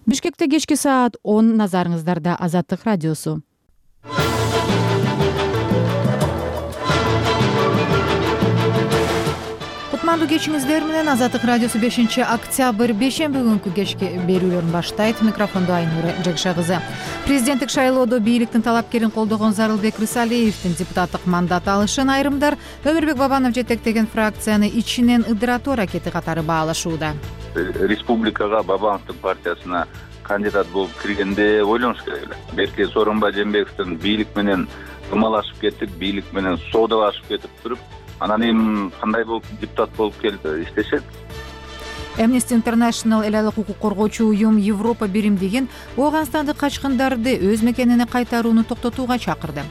Бишкекте кечки саат 10, назарыңыздарда Азаттык радиосу. Кутмандуу кечиңиздер менен Азаттык радиосу 5-октябрь бейшемби күнкү кечки берүүлөрүн баштайт. Микрофондо Айнура Жекша кызы. Президенттик шайлоодо бийликтин талапкерин колдогон Зарылбек Рысалиевдин депутаттык мандат алышын айрымдар Өмүрбек Бабанов жетектеген фракцияны ичинен ыдыратуу аракети катары баалашууда. Республикага Бабановдун партиясына кандидат болуп киргенде ойлонуш керек эле. Берки Сооронбай Жээнбековдун бийлик менен ымалашып кеттик, бийлик менен соодалашып кетип туруп, анан эми кандай болуп депутат болуп келип иштешет. Amnesty International эл айлык укук коргоочу уюм Европа биримдигин Ооганстандык качкындарды өз мекенине кайтарууну токтотууга чакырды.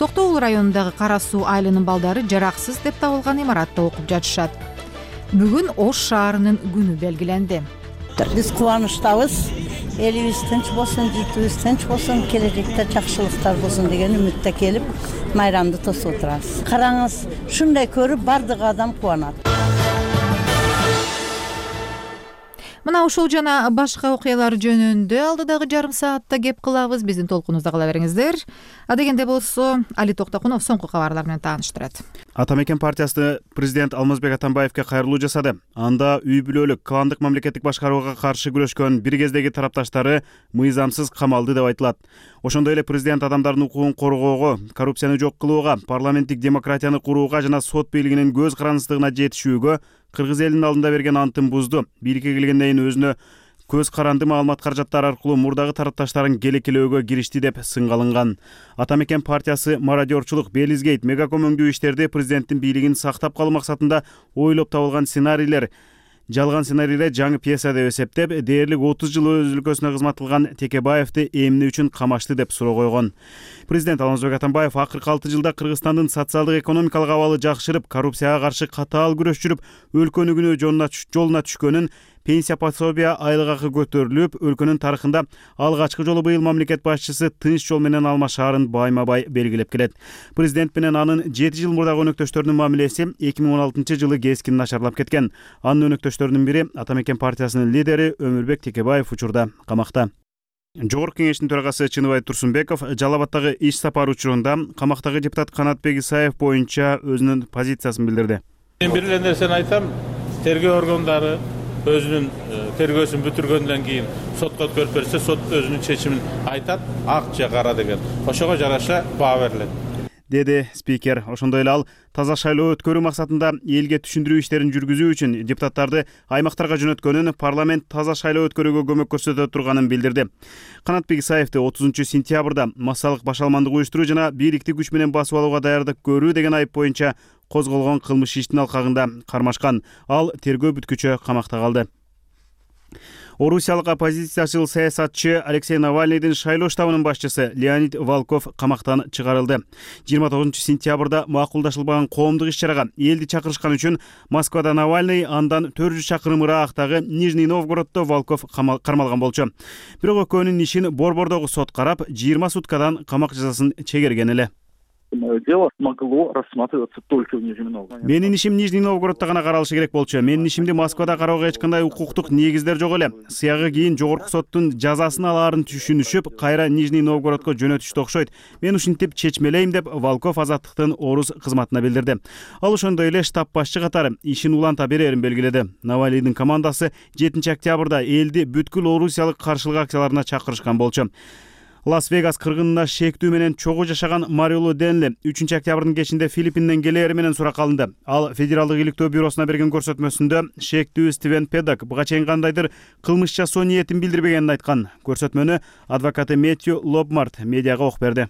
Токтоул районундагы Кара Суу айылынын балдары жараксыз деп табылган имаратта окуп жатышат. Бүгүн Ош шаарынын күнү белгиленди. Биз кубанычтабыз. Элибиз тынч болсун, журтубуз тынч болсун, келечекте жакшылыктар болсун деген үмүттө келип, майрамды тосуп отурабыз. Караңыз, ушундай көрүп бардык адам кубанат. Мына ушул жана башка окуялар жөнүндө алдыдагы жарым саатта кеп кылабыз. Биздин толкунубузда кала бериңиздер. Адегенде болсо Али Токтокунов соңку кабарлар менен тааныштырат. Атамекен партиясы президент Алмазбек Атамбаевке кайрылуу жасады. Анда үй бүлөлүк кландык мамлекеттик башкарууга каршы күрөшкөн бир кездеги тарапташтары мыйзамсыз камалды деп айтылат. Ошондой эле президент адамдардын укугун коргоого, коррупцияны жок кылууга, парламенттик демократияны курууга жана сот бийлигинин көз карандысыздыгына жетишүүгө кыргыз элинин алдында берген антын бузду. Бийликке келгенден кийин өзүнө көз каранды маалымат каражаттары аркылуу мурдагы тарапташтарын келекелөөгө киришти деп сынга алынган. Атамекен партиясы мародерчулук, белизгейт, мегакомөңдүү иштерди президенттин бийлигин сактап калуу максатында ойлоп табылган сценарийлер, жалган сценарийлер жаңы пьеса деп эсептеп, дээрлик 30 жыл өз өлкөсүнө кызмат кылган Текебаевди эмне үчүн камашты деп суроо койгон. Президент Алмазбек Атамбаев акыркы 6 жылда Кыргызстандын социалдык экономикалык абалы жакшырып, коррупцияга каршы катаал күрөш жүрүп, өлкөнүн жолуна түшкөнүн, пенсия пособия, айлык акы көтөрүлүп, өлкөнүн тарыхында алгачкы жолу быйыл мамлекет башчысы тынч жол менен алмашаарын байма-бай белгилеп келет. Президент менен анын 7 жыл мурдагы өнөктөштөрүнүн мамилеси 2016 жылы кескин начарлап кеткен. Анын өнөктөштөрүнүн бири Атамекен партиясынын лидери Өмүрбек Текебаев учурда камакта. Жогорку кеңештин төрагасы Чыныбай Турсунбеков Жалал Абадтагы иш сапары учурунда камактагы депутат Канатбек Исаев боюнча өзүнүн позициясын билдирди. Мен бир эле нерсени айтам, тергөө органдары өзүнүн тергөөсүн бүтүргөндөн кийин сотко өткөрүп берсе, сот өзүнүн чечимин айтат, ак же кара деген. Ошого жараша баа берилет, деди спикер. Ошондой эле ал таза шайлоо өткөрүү максатында элге түшүндүрүү иштерин жүргүзүү үчүн депутаттарды аймактарга жөнөткөнүн, парламент таза шайлоо өткөрүүгө көмөк көрсөтө турганын билдирди. Канатбек Исаевди 30 сентябрда массалык башалмандык уюштуруу жана бийликти күч менен басып алууга даярдык көрүү деген айып боюнча козголгон кылмыш иштин алкагында кармашкан. Ал тергөө бүткүчө камакта калды. Орусиялык оппозициячыл саясатчы Алексей Навальныйдын шайлоо штабынын башчысы Леонид Волков камактан чыгарылды. 29 сентябрда макулдашылбаган коомдук иш-чарага элди чакырышкан үчүн Москвада Навальный, андан 400 чакырым ыраагытагы Нижний Новгороддо Волков кармалган болчу. Бирок экөөнүн ишин Борбордогу сот карап, 20 суткадан камак жазасын чегерген эле. Дело могло рассматриваться только в Нижнем Новгороде. Менин ишим Нижний Новгородто гана каралышы керек болчу. Менин ишимди Москвада кароого эч кандай укуктук негиздер жок эле. Сыягы кийин жогорку соттун жазасын алаарын түшүнүшүп, кайра Нижний Новгородко жөнөтүштү окшойт. Мен ушинтип чечмелейм деп Волков Азаттыктын Орус кызматына билдирди. Ал ошондой эле штаб башчы катары ишин уланта берерин белгиледи. Навальныйдын командасы 7 октябрда элди бүткүл орусиялык каршылык акцияларына чакырышкан болчу. Лас-Вегас кыргынына шектүү менен чогуу жашаган Мариоло Денли 3 октябрдын кечинде Филиппинден келери менен суракка алынды. Ал Федералдык иликтөө бюросуна берген көрсөтмөсүндө шектүү Стивен Педок буга чейин кандайдыр кылмыш жасоо ниетин билдирбегенин айткан. Көрсөтмөнү адвокаты Мэтью Лобмарт медиага окуп берди.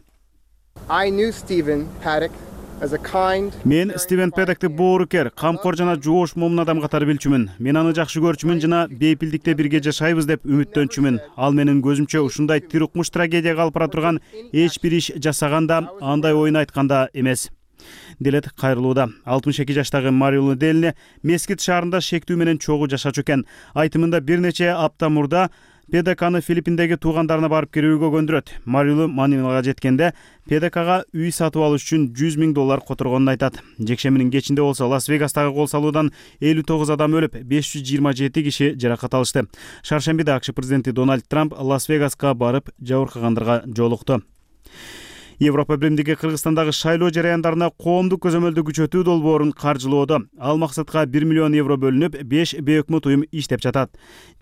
Мен Стивен Педокти боорукер, камкор жана жоош момун адам катары билчүмүн. Мен аны жакшы көрчүмүн жана бейпилдикте бирге жашайбыз деп үмүттөнчүмүн. Ал менин көзүмчө ушундай тирукмуш трагедияга алып бара турган эч бир иш жасаганда, андай оюн айтканда эмес. Делет кайрылууда. 62 жаштагы Мариоло Денли Мескит шаарында шектүү менен чогуу жашачу экен. Айтымында бир нече апта мурда ПДКны Филиппиндеги туугандарына барып келүүгө көндүрөт. Марилу Манилага жеткенде ПДКга үй сатып алыш үчүн $100,000 которгонун айтат. Жекшембинин кечинде болсо Лас-Вегастагы кол салуудан 59 адам өлүп, 527 киши жаракат алышты. Шаршембиде АКШ президенти Дональд Трамп Лас-Вегаска барып жабыркагандарга жолукту. Европа Биримдиги Кыргызстандагы шайлоо жараяндарына коомдук көзөмөлдү күчөтүү долбоорун каржылоодо. Ал максатка 1 миллион евро бөлүнүп, 5 бейөкмөт уюм иштеп жатат.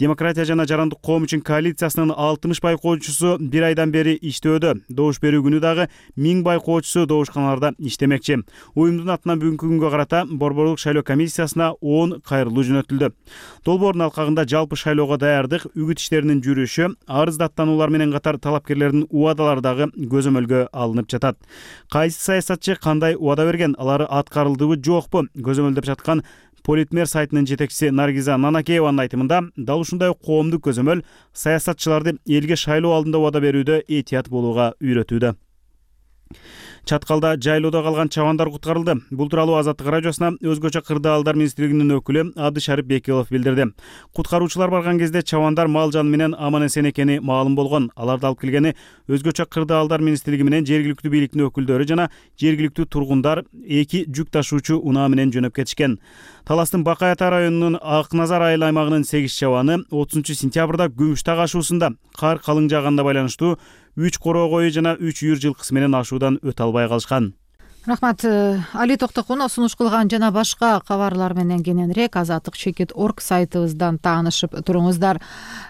Демократия жана жарандык коом үчүн коалициясынын 60 байкоочусу бир айдан бери иштөөдө. Добуш берүү күнү дагы 1000 байкоочусу добушканаларда иштемекчи. Уюмдун атынан бүгүнкү күнгө карата Борборлук шайлоо комиссиясына 10 кайрылуу жөнөтүлдү. Долбоордун алкагында жалпы шайлоого даярдык, үгүт иштеринин жүрүшү, арыз даттануулар менен катар талапкерлердин убадалары дагы көзөмөлгө алынып жатат. Кайсы саясатчы кандай убада берген, алары аткарылдыбы жокпу? Көзөмөлдөп жаткан Политмер сайтынын жетекчиси Наргиза Нанакееванын айтымында, дал ушундай коомдук көзөмөл саясатчыларды элге шайлоо алдында убада берүүдө этият болууга үйрөтүүдө. Чаткалда жайлоодо калган чабандар куткарылды. Бул тууралуу Азаттык радиосуна Өзгөчө кырдаалдар министрлигинин өкүлү Абдышарип Бекилов билдирди. Куткаруучулар барган кезде чабандар мал жан менен аман-эсен экени маалым болгон. Аларды алып келгени Өзгөчө кырдаалдар министрлиги менен жергиликтүү бийликтин өкүлдөрү жана жергиликтүү тургундар 2 жүк ташуучу унаа менен жөнөп кетишкен. Таластын Бакай Ата районунун Ак Назар айыл аймагынын 8 чабаны 30-сентябрда Күмүш таг ашуусунда кар калың жааганда байланыштуу 3 короо кою жана 3 үйүр жылкысы менен ашуудан өтө албай калышкан. Рахмат. Али Токтокунов сунуш кылган жана башка кабарлар менен кененирээк azatlyk.org сайтыбыздан таанышып туруңуздар.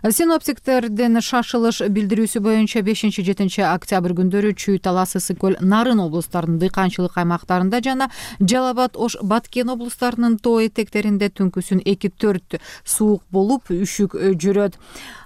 Синоптиктердин шашылыш билдирүүсү боюнча 5-7 октябрь күндөрү Чүй, Талас, Ысык көл, Нарын облустарынын дыйканчылык аймактарында жана Жалал-Абад, Ош, Баткен облустарынын тоо этектеринде түнкүсүн 2-4 суук болуп, үшүк жүрөт.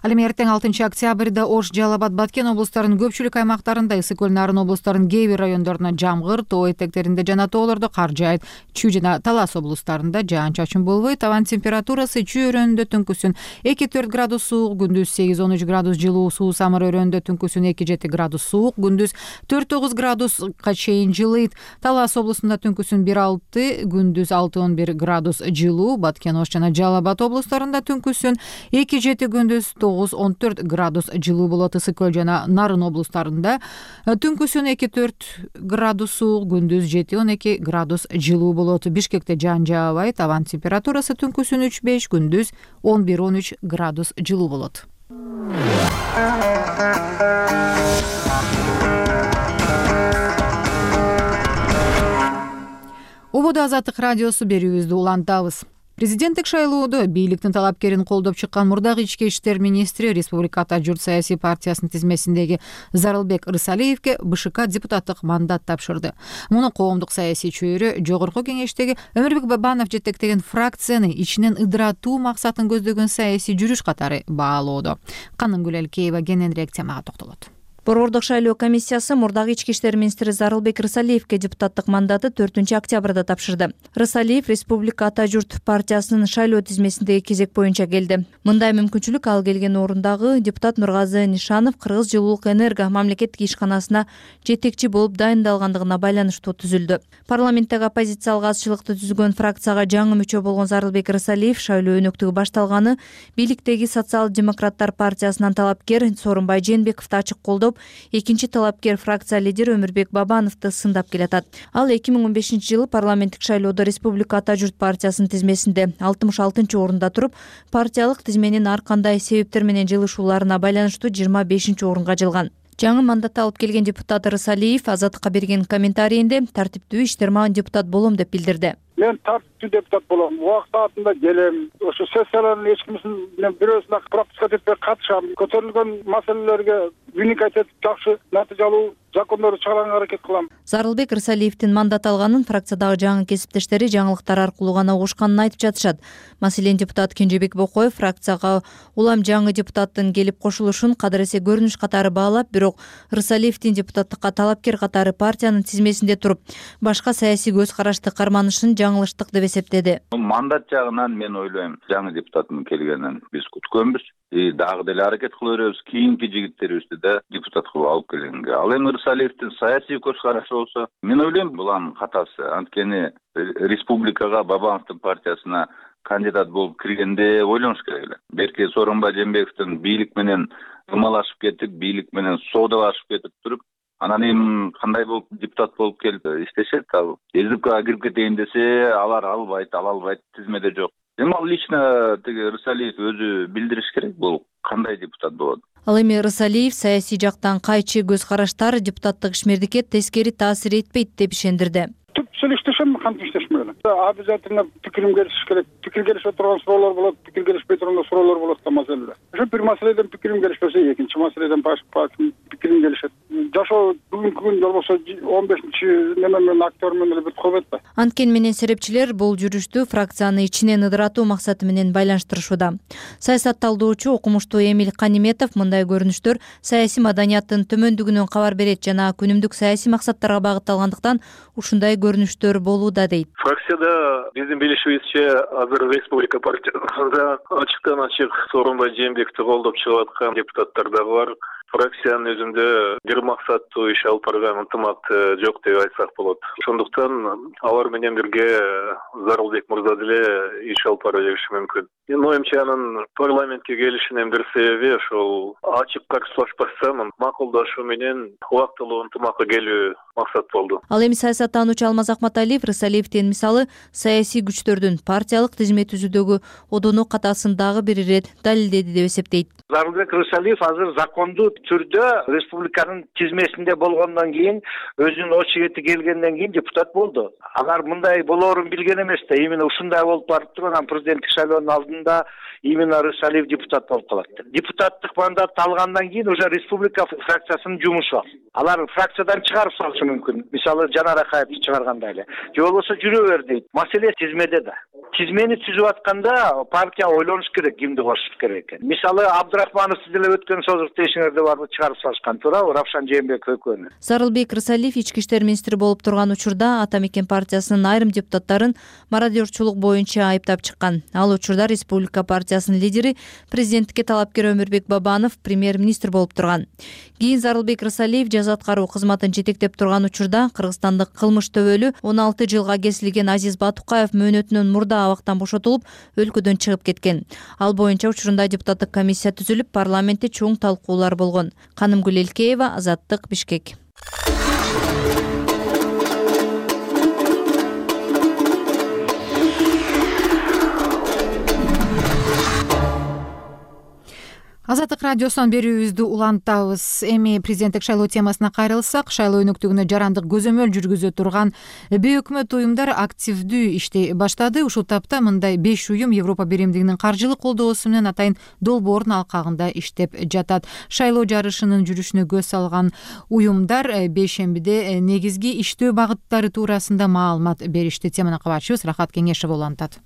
Ал эми эртең 6 октябрда Ош, Жалал-Абад, Баткен облустарынын көпчүлүк аймактарында, Ысык көл, Нарын облустарынын кээ бир райондоруна жамгыр, тоо этектеринде жана тоолордо кар жаайт. Чүй жана Талас облустарында жаан-чачын болбойт. Абанын температурасы Чүй өрөөнүндө түнкүсүн 2-4 градус суук, күндүз 8-13 градус жылуу, Суу Самыр өрөөнүндө түнкүсүн 2-7 градус суук, күндүз 4-9 градуска чейин жылыйт. Талас облусунда түнкүсүн 1-6, күндүз 6-11 градус жылуу, Баткен, Ош жана Жалал-Абад облустарында түнкүсүн 2-7, күндүз 9-14 градус жылуу болот. Ысык көл жана Нарын облустарында түнкүсүн 2-4 градус суук, күндүз 7-12 градус жылуу болот. Бишкекте жаан жаабайт. Абанын температурасы түнкүсүн 3-5, күндүз 11-13 градус жылуу болот. Убада Азаттык радиосу берүүбүздү улантабыз. Президенттик шайлоодо бийликтин талапкерин колдоп чыккан мурдагы ички иштер министри Республика Ата журт саясий партиясынын тизмесиндеги Зарылбек Рысалиевке БШК депутаттык мандат тапшырды. Муну коомдук саясий чөйрө жогорку кеңештеги Өмүрбек Бабанов жетектеген фракцияны ичинен ыдыратуу максатын көздөгөн саясий жүрүш катары баалоодо. Канынгүл Элкеева кененирээк темага токтолот. Борбордук шайлоо комиссиясы мурдагы ички иштер министри Зарылбек Рысалиевке депутаттык мандатты 4 октябрда тапшырды. Рысалиев Республика Ата журт партиясынын шайлоо тизмесиндеги кезек боюнча келди. Мындай мүмкүнчүлүк ал келген орундагы депутат Нургазы Нишанов Кыргыз жылуулук энерго мамлекеттик ишканасына жетекчи болуп дайындалгандыгына байланыштуу түзүлдү. Парламенттеги оппозициялык азчылыкты түзгөн фракцияга жаңы мүчө болгон Зарылбек Рысалиев шайлоо өнөктүгү башталганы бийликтеги социал-демократтар партиясынан талапкер Сооронбай Жээнбековду ачык колдоп, экинчи талапкер фракция лидери Өмүрбек Бабановду сындап келатат. Ал 2015-жылы парламенттик шайлоодо Республика Ата журт партиясынын тизмесинде 66-орунда туруп, партиялык тизменин ар кандай себептер менен жылышууларына байланыштуу 25-орунга жылган. Жаңы мандатты алып келген депутат Рысалиев Азаттыкка берген комментарийинде тартиптүү иштерман депутат болом деп билдирди. Мен тартиптүү депутат болом. Убак саатында келем. Ошо сессиялардын эч кимисинин бирөөсүнө пропускать этпей катышам. Көтөрүлгөн маселелерге вникать этип жакшы натыйжалуу закондорду чыгарганга аракет кылам. Зарылбек Рысалиевдин мандат алганын фракциядагы жаңы кесиптештери жаңылыктар аркылуу гана угушканын айтып жатышат. Маселен, депутат Кенжебек Бокоев фракцияга улам жаңы депутаттын келип кошулушун кадыр эсе көрүнүш катары баалап, бирок Рысалиевдин депутаттыкка талапкер катары партиянын тизмесинде туруп, башка саясий көз карашты карманышын жаңылыштык деп эсептеди. Мандат жагынан мен ойлойм, жаңы депутаттын келгенин биз күткөнбүз. Дагы деле аракет кыла беребиз, кийинки жигиттерибизди да депутат кылып алып келгенге. Ал эми Рысалиевдин саясий көз карашы болсо, мен ойлойм булан катасы. Анткени республикага, Бабановдун партиясына кандидат болуп киргенде ойлонуш керек эле. Берки Сооронбай Жээнбековдун бийлик менен ымалашып кетип, бийлик менен соодалашып кетип туруп, анан эми кандай болуп депутат болуп келип иштешет. Ал СДПКга кирип кетейин десе, алар ала албайт, тизмеде жок. Эми ал лично тиги Рысалиев өзү билдириш керек, бул кандай депутат болот. Ал эми Рысалиев саясий жактан кайчы көз караштар депутаттык ишмердикке тескери таасир этпейт деп ишендирди. Түпсүл иштешем, кантип иштешмек эле. Обязательно пикирим келишиш керек. Пикир келишпей турган суроолор болот, пикир келишпей турган суроолор болот да маселеде. Ошо бир маселеден пикирим келишпесе, экинчи маселеден пикирим келишет. Жашоо бүгүнкү күн болбосо 15-чи неме менен актер менен эле бүтүп калбайт да. Анткени менен серепчилер бул жүрүштү фракцияны ичинен ыдыратуу максаты менен байланыштырышууда. Саясатталдоочу окумуштуу Эмиль Каниметов мындай көрүнүштөр саясий маданияттын төмөндүгүнөн кабар берет жана күнүмдүк саясий максаттарга багытталгандыктан ушундай көрүнүштөр болууда дейт. Фракцияда биздин билишибизче азыр Республика партиясында ачыктан ачык Сооронбай Жээнбековду колдоп чыгып аткан депутаттар дагы бар. Фракциянын өзүндө бир максаттуу иш алып барган ынтымакты жок деп айтсак болот. Ошондуктан алар менен бирге Зарылбек мырза деле иш алып бара бериши мүмкүн. Менин оюмча анын парламентке келишинин бир себеби ошол ачык каршылашпастан макулдашуу менен убактылуу ынтымакка келүү максат болду. Ал эми саясаттануучу Алмаз Акматалиев Рысалиевдин мисалы саясий күчтөрдүн партиялык тизме түзүүдөгү одону катасын дагы бир ирет далилдеди деп эсептейт. Зарылбек Рысалиев азыр закондуу түрдө республиканын тизмесинде болгондон кийин өзүнүн очерети келгенден кийин депутат болду. Алар мындай болоорун билген эмес да, именно ушундай болуп барып турган президенттик шайлоонун алдында именно Рысалиев депутат болуп калат. Депутаттык мандатты алгандан кийин уже республика фракциясынын жумушу. Алар фракциядан чыгарып салышы мүмкүн. Мисалы Жанар Акаевди чыгаргандай эле. Же болбосо жүрө бер дейт. Маселе тизмеде да. Тизмени түзүп атканда партия ойлонуш керек, кимди кошуш керек экен. Мисалы Абдрахманов сиз деле өткөн созуртта эсиңерде барбы, чыгарып салышкан туурабы Равшан Жээнбеков экөөнү. Зарылбек Рысалиев ички иштер министри болуп турган учурда Ата Мекен партиясынын айрым депутаттарын мародерчулук боюнча айыптап чыккан. Ал учурда республика партиясынын лидери президенттикке талапкер Өмүрбек Бабанов премьер-министр болуп турган. Кийин Зарылбек Рысалиев жаза аткаруу кызматын жетектеп турган учурда кыргызстандык кылмыш төбөлү 16 жылга кесилген Азиз Батукаев мөөнөтүнөн мурда абактан бошотулуп өлкөдөн чыгып кеткен. Ал боюнча учурунда депутаттык комиссия түзүлүп, парламентте чоң талкуулар болгон. Канымгүл Элкеева, Азаттык, Бишкек. Азаттык радиосунан берүүбүздү улантабыз. Эми президенттик шайлоо темасына кайрылсак, шайлоо өнөктүгүнө жарандык көзөмөл жүргүзө турган бейөкмөт уюмдар активдүү иштей баштады. Ушул тапта мындай 5 уюм Европа биримдигинин каржылык колдоосу менен атайын долбоордун алкагында иштеп жатат. Шайлоо жарышынын жүрүшүнө көз салган уюмдар бейшембиде негизги иштөө багыттары туурасында маалымат беришти. Теманы кабарчыбыз Рахат Кеңешева улантат.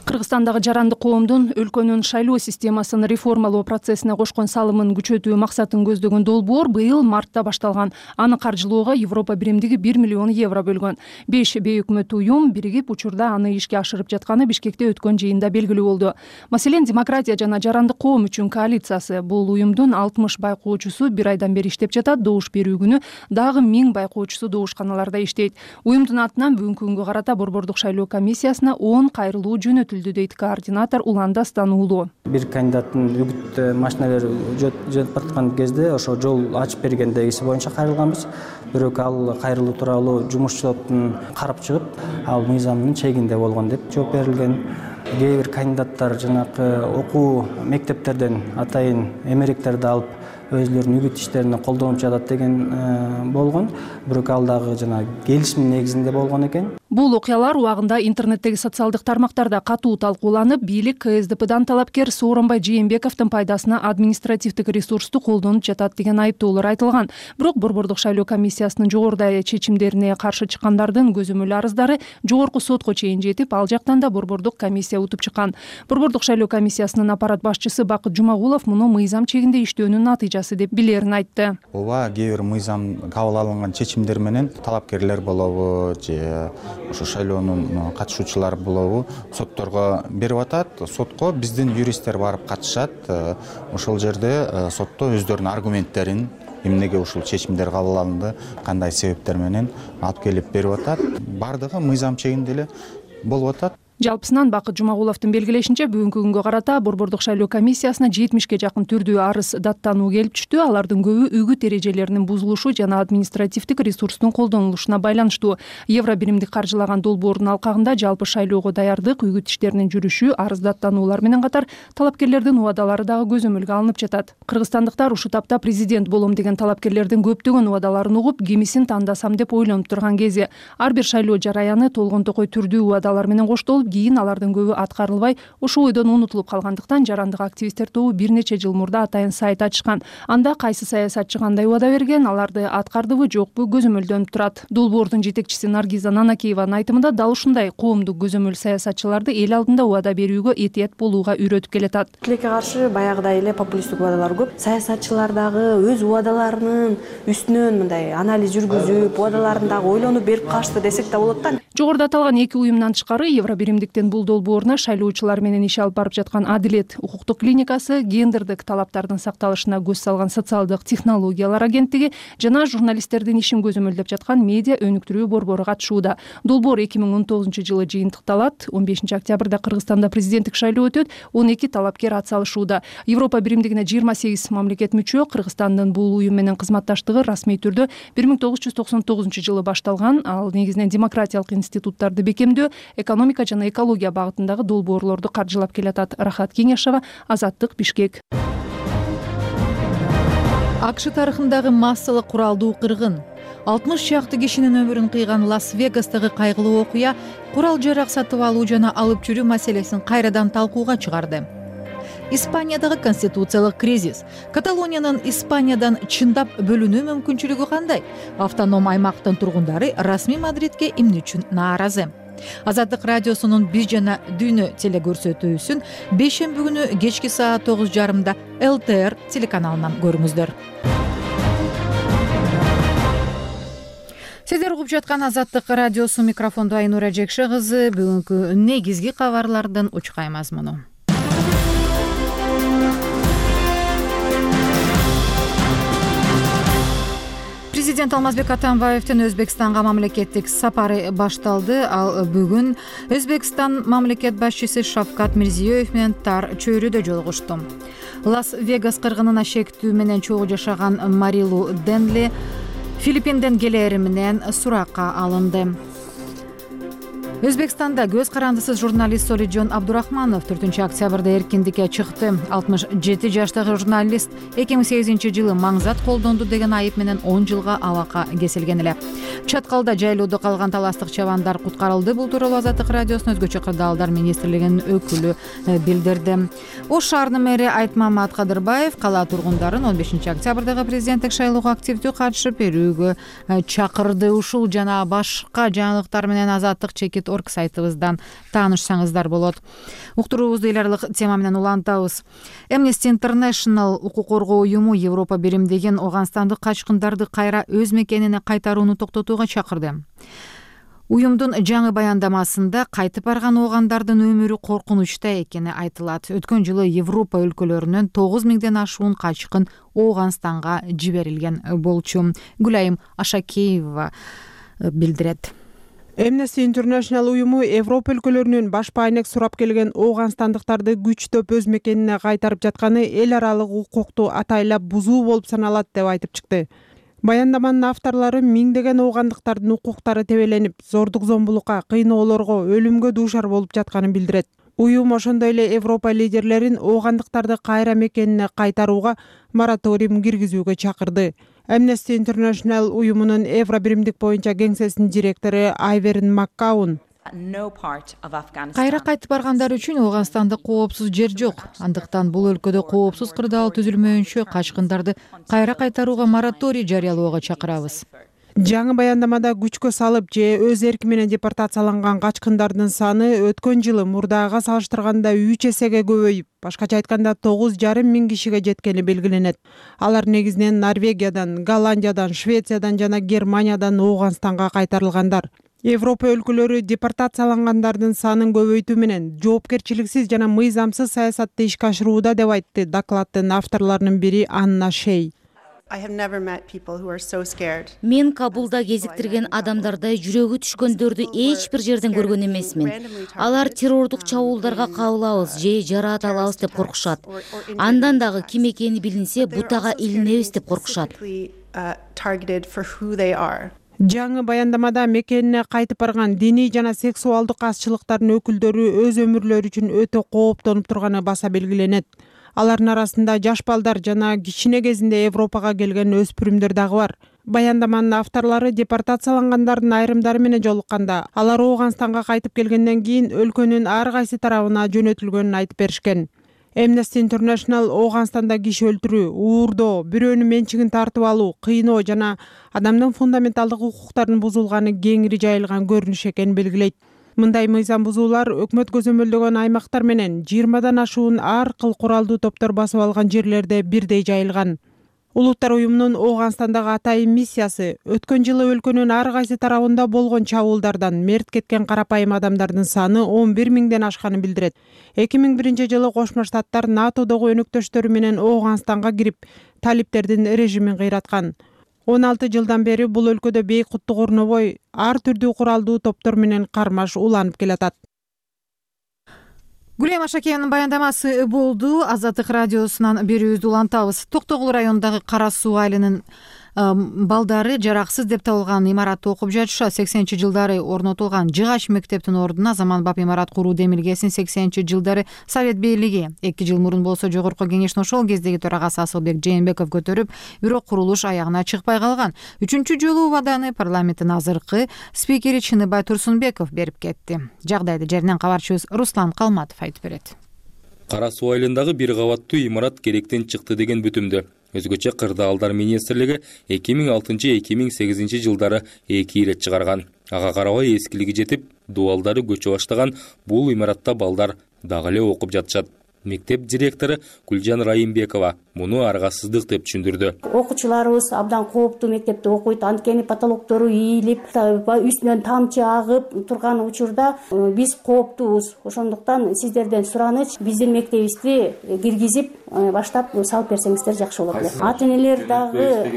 Кыргызстандагы жарандык коомдун өлкөнүн шайлоо системасын реформалоо процессине кошкон салымын күчөтүү максатын көздөгөн долбоор быйыл мартта башталган. Аны каржылоого Европа биримдиги 1 миллион евро бөлгөн. 5 бейөкмөт уюм биригип учурда аны ишке ашырып жатканы Бишкекте өткөн жыйында белгилүү болду. Маселен, Демократия жана жарандык коом үчүн коалициясы бул уюмдун 60 байкоочусу бир айдан бери иштеп жатат. Добуш берүү күнү дагы 1000 байкоочусу добушканаларда иштейт. Уюмдун атынан бүгүнкү күнгө карата Борбордук шайлоо комиссиясына 10 кайрылуу жөнөтүлдү дейт координатор Уланда Стануулуу. Бир кандидаттын үгүт машиналары жөнөтүп аткан кезде ошо жол ачып бергендегиси боюнча кайрылганбыз. Бирок ал кайрылуу тууралуу жумушчулуктун карап чыгып, ал мыйзамдын чегинде болгон деп жооп берилген. Кээ бир кандидаттар жанакы окуу мектептерден атайын эмеректерди алып өзлөрүнүн үгүт иштерине колдонуп жатат деген болгон. Бирок ал дагы жана келишим негизинде болгон экен. Бул окуялар убагында интернеттеги социалдык тармактарда катуу талкууланып, бийлик КСДПдан талапкер Сооронбай Жээнбековдун пайдасына административдик ресурсту колдонуп жатат деген айыптоолор айтылган. Бирок Борбордук шайлоо комиссиясынын жогоруда чечимдерине каршы чыккандардын көзөмөл арыздары жогорку сотко чейин жетип, ал жактан да Борбордук комиссия утуп чыккан. Борбордук шайлоо комиссиясынын аппарат башчысы Бакыт Жумагулов муну мыйзам чегинде иштөөнүн натыйжасы деп билерин айтты. Ооба, кээ бир мыйзам кабыл алынган чечимдер менен талапкерлер болобу же ошо шайлоонун катышуучулары болобу сотторго берип атат. Сотко биздин юристтер барып катышат. Ошол жерде сотто өздөрүнүн аргументтерин, эмнеге ушул чечимдер кабыл алынды, кандай себептер менен алып келип берип атат. Бардыгы мыйзам чегинде эле болуп атат. Жалпысынан Бакыт Жумагуловдун белгилешинче бүгүнкү күнгө карата Борбордук шайлоо комиссиясына 70ге жакын түрдүү арыз даттануу келип түштү. Алардын көбү үгүт эрежелеринин бузулушу жана административдик ресурстун колдонулушуна байланыштуу. Евро биримдик каржылаган долбоордун алкагында жалпы шайлоого даярдык, үгүт иштеринин жүрүшү, арыз даттануулар менен катар талапкерлердин убадалары дагы көзөмөлгө алынып жатат. Кыргызстандыктар ушул тапта президент болом деген талапкерлердин көптөгөн убадаларын угуп, кимисин тандасам деп ойлонуп турган кези. Ар бир шайлоо жараяны толгон-токой түрдүү убадалар менен коштолуп, кийин алардын көбү аткарылбай, ошол ойдон унутулуп калгандыктан жарандык активисттер тобу бир нече жыл мурда атайын сайт ачышкан. Анда кайсы саясатчы кандай убада берген, аларды аткардыбы, жокпу көзөмөлдөнүп турат. Долбоордун жетекчиси Наргиза Нанакееванын айтымында дал ушундай коомдук көзөмөл саясатчыларды эл алдында убада берүүгө этият болууга үйрөтүп келатат. Тилекке каршы баягыдай эле популисттик убадалар көп. Саясатчылар дагы өз убадаларынын үстүнөн мындай анализ жүргүзүп, убадаларын дагы ойлонуп берип калышты десек да болот да. Жогоруда аталган эки уюмдан тышкары Евро биримдиктин бул долбооруна шайлоочулар менен иш алып барып жаткан Адилет укуктук клиникасы, гендердик талаптардын сакталышына көз салган социалдык технологиялар агенттиги жана журналисттердин ишин көзөмөлдөп жаткан медиа өнүктүрүү борбору катышууда. Долбоор 2019-жылы жыйынтыкталат. 15 октябрда Кыргызстанда президенттик шайлоо өтөт. 12 талапкер ат салышууда. Европа биримдигине 28 мамлекет мүчө. Кыргызстандын бул уюм менен кызматташтыгы расмий түрдө 1999-жылы башталган. Ал негизинен демократиялык институттарды бекемдөө, экономика жана экология багытындагы долбоорлорду каржылап келатат. Рахат Кеңешова, Азаттык, Бишкек. АКШ тарыхындагы массалык куралдуу кыргын. 60 чакты кишинин өмүрүн кыйган Лас-Вегастагы кайгылуу окуя курал жарак сатып алуу жана алып жүрүү маселесин кайрадан талкууга чыгарды. Испаниядагы конституциялык кризис. Каталониянын Испаниядан чындап бөлүнүү мүмкүнчүлүгү кандай? Автоном аймактын тургундары расмий Мадридке эмне үчүн нааразы? Азаттык радиосунун Биз жана Дүйнө телекөрсөтүүсүн бейшемби күнү кечки саат 9:30 ЛТР телеканалынан көрүңүздөр. Сиздер угуп жаткан Азаттык радиосу, микрофондо Айнура Жекше кызы. Бүгүнкү негизги кабарлардын учкай мазмуну. Президент Алмазбек Атамбаевдин Өзбекстанга мамлекеттик сапары башталды. Ал бүгүн Өзбекстан мамлекет башчысы Шавкат Мирзиёев менен тар чөйрөдө жолугушту. Лас-Вегас кыргынына шектүү менен чогуу жашаган Марилу Денли Филиппинден келери менен суракка алынды. Өзбекстанда көз карандысыз журналист Солиджон Абдурахманов 4-октябрда эркиндикке чыкты. 67 жаштагы журналист 2008-жылы маңзат колдонду деген айып менен 10 жылга абакка кесилген эле. Чаткалда жайлоодо калган таластык чабандар куткарылды. Бул тууралуу Азаттык радиосунун өзгөчө кырдаалдар министрлигинин өкүлү билдирди. Ош шаарынын мэри Айтмамат Кадырбаев кала тургундарын 15-октябрдагы президенттик шайлоого активдүү катышып берүүгө чакырды. Ушул жана башка жаңылыктар менен Азаттык чекит сайтыбыздан таанышсаңыздар болот. Уктуруубузду эл аралык тема менен улантабыз. Amnesty International укук коргоо уюму Европа биримдигин Ооганстандык качкындарды кайра өз мекенине кайтарууну токтотууга чакырды. Уюмдун жаңы баяндамасында кайтып барган оогандардын өмүрү коркунучта экени айтылат. Өткөн жылы Европа өлкөлөрүнөн 9000ден ашуун качкын Ооганстанга жиберилген болчу. Гүлайым Ашакеева билдирет. Amnesty International уюму Европа өлкөлөрүнөн башпа айнек сурап келген ооганстандыктарды күчтөп өз мекенине кайтарып жатканы эл аралык укукту атайлап бузуу болуп саналат деп айтып чыкты. Баяндаманын авторлору миңдеген оогандыктардын укуктары тебеленип, зордук зомбулукка, кыйноолорго, өлүмгө дуушар болуп жатканын билдирет. Уюм ошондой эле Европа лидерлерин оогандыктарды кайра мекенине кайтарууга мораторий киргизүүгө чакырды. Amnesty International уюмунун Евро биримдик боюнча кеңсесинин директору Айверин Маккаун кайра кайтып баргандар үчүн Ооганстанда коопсуз жер жок. Андыктан бул өлкөдө коопсуз кырдаал түзүлмөйүнчө качкындарды кайра кайтарууга мораторий жарыялоого чакырабыз. Жаңы баяндамада күчкө салып же өз эрки менен депортацияланган качкындардын саны өткөн жылы мурдага салыштырганда 3 эсеге көбөйүп, башкача айтканда 9,5 кишиге жеткени белгиленет. Алар негизинен Норвегиядан, Голландиядан, Швециядан жана Германиядан Ооганстанга кайтарылгандар. Европа өлкөлөрү депортациялангандардын санын көбөйтүү менен жоопкерчиликсиз жана мыйзамсыз саясатты ишке ашырууда деп айтты докладдын авторлорунун бири Анна Шей. Мен Кабулда кезиктирген адамдардай жүрөгү түшкөндөрдү эч бир жерден көргөн эмесмин. Алар террордук чабуулдарга кабылабыз же жараат алабыз деп коркушат. Андан дагы ким экени билинсе, бутага илинебиз деп коркушат. Жаңы баяндамада мекенине кайтып барган диний жана сексуалдык азчылыктардын өкүлдөрү өз өмүрлөрү үчүн өтө кооптонуп турганы баса белгиленет. Алардын арасында жаш балдар жана кичине кезинде Европага келген өспүрүмдөр дагы бар. Баяндаманын авторлору депортациялангандардын айрымдары менен жолукканда, алар Ооганстанга кайтып келгенден кийин өлкөнүн ар кайсы тарабына жөнөтүлгөнүн айтып беришкен. Amnesty International Ооганстанда киши өлтүрүү, уурдоо, бирөөнүн менчигин тартып алуу, кыйноо жана адамдын фундаменталдык укуктарынын бузулганы кеңири жайылган көрүнүш экенин белгилейт. Мындай мыйзам бузуулар өкмөт көзөмөлдөгөн аймактар менен 20дан ашуун ар кыл куралдуу топтор басып алган жерлерде бирдей жайылган. Улуттар уюмунун Ооганстандагы атайын миссиясы өткөн жылы өлкөнүн ар кайсы тарабында болгон чабуулдардан мерт кеткен карапайым адамдардын саны 11 миңден ашканын билдирет. 2001 жылы Кошмо Штаттар НАТОдогу өнөктөштөрү менен Ооганстанга кирип, талиптердин режимин кыйраткан. 16 жылдан бери бул өлкөдө бейкуттук орнобой ар түрдүү куралдуу топтор менен кармаш уланып келатат. Гүлем Ашакеевнин баяндамасы болду. Азаттык радиосунан берүүбүздү улантабыз. Токтогул районундагы Кара Суу айылынын балдары жараксыз деп табылган имаратты окуп жатышат. 80-жылдары орнотулган жыгач мектептин ордуна заманбап имарат куруу демилгесин 80-жылдары Совет бийлиги 2 жыл мурун болсо Жогорку Кеңештин ошол кездеги төрагасы Асылбек Жээнбеков көтөрүп, бирок курулуш аягына чыкпай калган. 3-чү жолу убаданы парламенттин азыркы спикери Чыныбай Турсунбеков берип кетти. Жагдайды жеринен кабарчыбыз Руслан Калматов айтып берет. Кара Суу айылындагы бир кабаттуу имарат керектен чыкты деген бүтүмдү. Өзгөчө Кырдаалдар министрлиги 2006-2008 жылдары 2 ирет чыгарган. Ага карабай эскилиги жетип, дуалдары көчө баштаган бул имаратта балдар дагы эле окуп жатышат. Мектеп директору Гүлжан Райымбекова муну аргасыздык деп түшүндүрдү. Окуучуларыбыз абдан кооптуу мектепте окуйт, анткени потолоктору ийилип, үстүнөн тамчы агып турган учурда биз кооптуубуз. Ошондуктан сиздерден сураныч, биздин мектебибизди киргизип баштап салып берсеңиздер жакшы болот эле. Ата-энелер дагы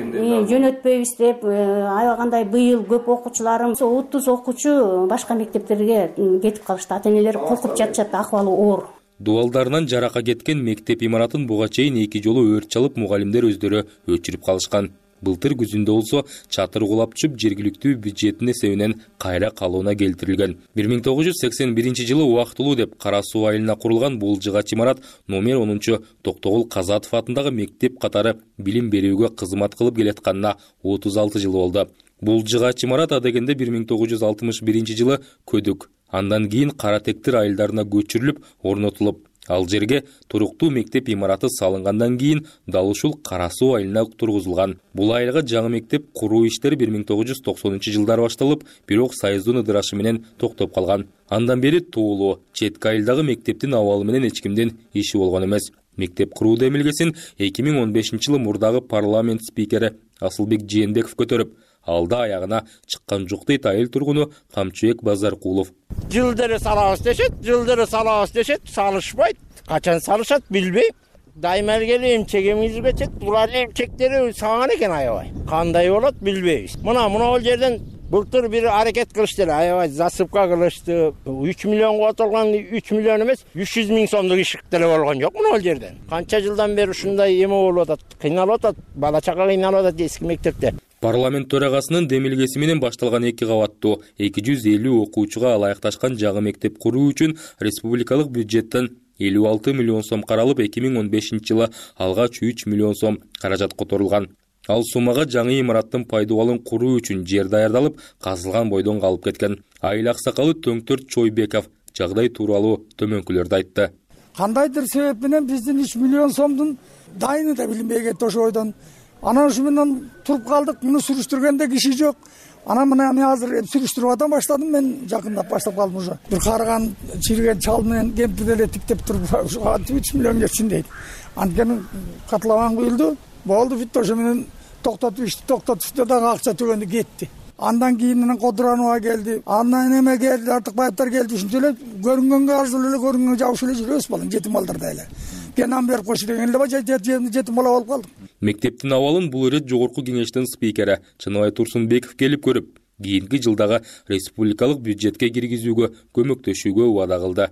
жөнөтпөйбүз деп, аябагандай быйыл көп окуучуларым 30 окуучу башка мектептерге кетип калышты. Ата-энелер коркуп жатышат, акыбалы оор. Дуалдарынан жарака кеткен мектеп имаратын буга чейин 2 жолу өрт чалып, мугалимдер өздөрү өчүрүп калышкан. Былтыр күзүндө болсо чатыр кулап түшүп, жергиликтүү бюджеттин эсебинен кайра калууна келтирилген. 1981 жылы убактылуу деп Кара Суу айылына курулган бул жыгач имарат номер 10 Токтогул Казатов атындагы мектеп катары билим берүүгө кызмат кылып келатканына 36 жыл болду. Бул жыгач имарат адегенде 1961 жылы көдүк. Андан кийин Кара Тектир айылдарына көчүрүлүп, орнотулуп, ал жерге туруктуу мектеп имараты салынгандан кийин дал ушул Кара Суу айылына тургузулган. Бул айылга жаңы мектеп куруу иштери 1990 жылдары башталып, бирок Союздун ыдырашы менен токтоп калган. Андан бери туулуу четки айылдагы мектептин абалы менен эч кимдин иши болгон эмес. Мектеп куруу демилгесин 2015 жылы мурдагы парламент спикери Асылбек Жээнбеков көтөрүп, алда аягына чыккан жок дейт айыл тургуну Камчыбек Базаркулов. Жылдары салабыз дешет, салышпайт. Качан салышат билбейм. Дайыма эле эмчек эмизип кетет. Булардын эмчектери саган экен аябай. Кандай болот билбейбиз. Мына ол жерден былтыр бир аракет кылышты эле, аябай засыпка кылышты. 3 миллионго отурган 3 миллион эмес, 300 миң сомдук ишик деле болгон жок мына ол жерден. Канча жылдан бери ушундай эме болуп атат, кыйналып атат, бала чага кыйналып атат эски мектепте. Парламент төрагасынын демилгеси менен башталган 2 кабаттуу 250 окуучуга ылайыкташкан жаңы мектеп куруу үчүн республикалык бюджеттен 56 миллион сом каралып, 2015 жылы алгач 3 миллион сом каражат которулган. Ал суммага жаңы имараттын пайдубалын куруу үчүн жер даярдалып, казылган бойдон калып кеткен. Айыл аксакалы Төңтөр Чойбеков жагдай тууралуу төмөнкүлөрдү айтты. Кандайдыр себеп менен биздин 3 миллион сомдун дайыны да билинбей кетти ошо бойдон. Анан ушу менен туруп калдык, муну сүрүштүргөнде киши жок. Анан мен азыр сүрүштүрүп атам баштадым, мен жакындап баштап калдым уже. Бир карыган, чирген чал менен кемпир деле тиктеп туруп, ушу 3 миллион кетсин дейт. Анткени катлабан куюлду, болду бүттү, ошо менен токтотушту дагы акча төлөндү кетти. Андан кийин Кодуранова келди, андан эме келди, Артыкбаевдер келди, ушинче эле көрүнгөнгө арзуу эле көрүнгөнгө жабышып эле жүрөбүз балам, жетим балдардай эле. Кенан берип койчу деген эле жетим бала болуп калдык. Мектептин абалын бул ирет жогорку кеңештин спикери Чыныбай Турсунбеков келип көрүп, кийинки жылдагы республикалык бюджетке киргизүүгө көмөктөшүүгө убада кылды.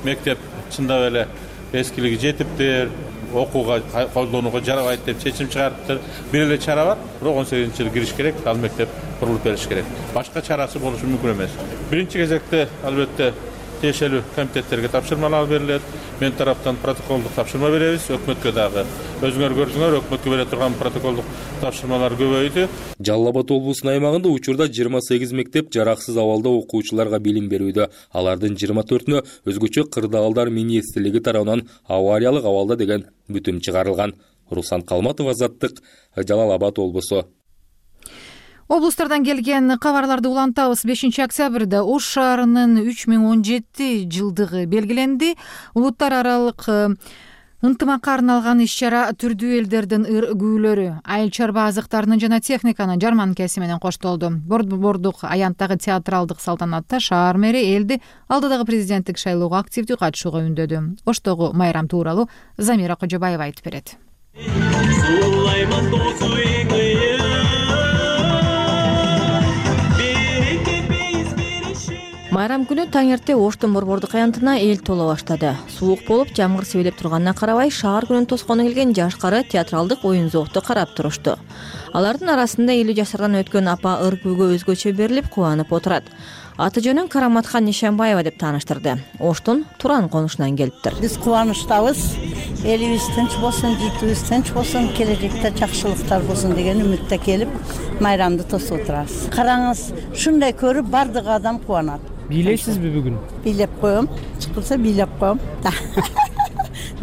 Мектеп чындап эле эскилиги жетиптир, окууга колдонууга жарабайт деп чечим чыгарыптыр. Бир эле чара бар, бирок 18-жылы кириш керек, ал мектеп курулуп бериш керек. Башка чарасы болушу мүмкүн эмес. Биринчи кезекте албетте тиешелүү комитеттерге тапшырмалар берилет. Мен тараптан протоколдук тапшырма беребиз. Өкмөткө дагы өзүңөр көрдүңөр, өкмөткө бере турган протоколдук тапшырмалар көбөйдү. Жалал Абад облусунун аймагында учурда 28 мектеп жараксыз абалда окуучуларга билим берүүдө. Алардын 24-нө өзгөчө кырдаалдар министрлиги тарабынан авариялык абалда деген бүтүм чыгарылган. Руслан Калматов, Азаттык, Жалал Абад облусу. Облустардан келген кабарларды улантабыз. 5-октябрда Ош шаарынын 3017 жылдыгы белгиленди. Улуттар аралык ынтымакка арналган иш-чара түрдүү элдердин ыр-күйлөрү, айыл чарба азыктарынын жана техниканын жарманкеси менен коштолду. Бордук аянттагы театралдык салтанатта шаар мэри элди алдыдагы президенттик шайлоого активдүү катышууга үндөдү. Оштогу майрам тууралуу Замира Кожобаева айтып берет. Майрам күнү таң эрте Оштун борбордук аянтына эл тола баштады. Суук болуп, жамгыр себелеп турганына карабай, шаар күнүн тоскону келген жашкары театралдык оюн-зоокту карап турушту. Алардын арасында 50 жашардан өткөн апа ыр-күүгө өзгөчө берилип кубанып отурат. Аты жөнүн Караматхан Нишанбаева деп тааныштырды. Оштун Туран конушунан келиптир. Биз кубанычтабыз. Элибиз тынч болсун, житибиз тынч болсун, келечекте жакшылыктар болсун деген үмүттө келип, майрамды тосуп отурабыз. Караңыз, шундай көрүп бардык адам кубанат. Бийлейсизби бүгүн? Бийлеп коем, чыкылса бийлеп коем.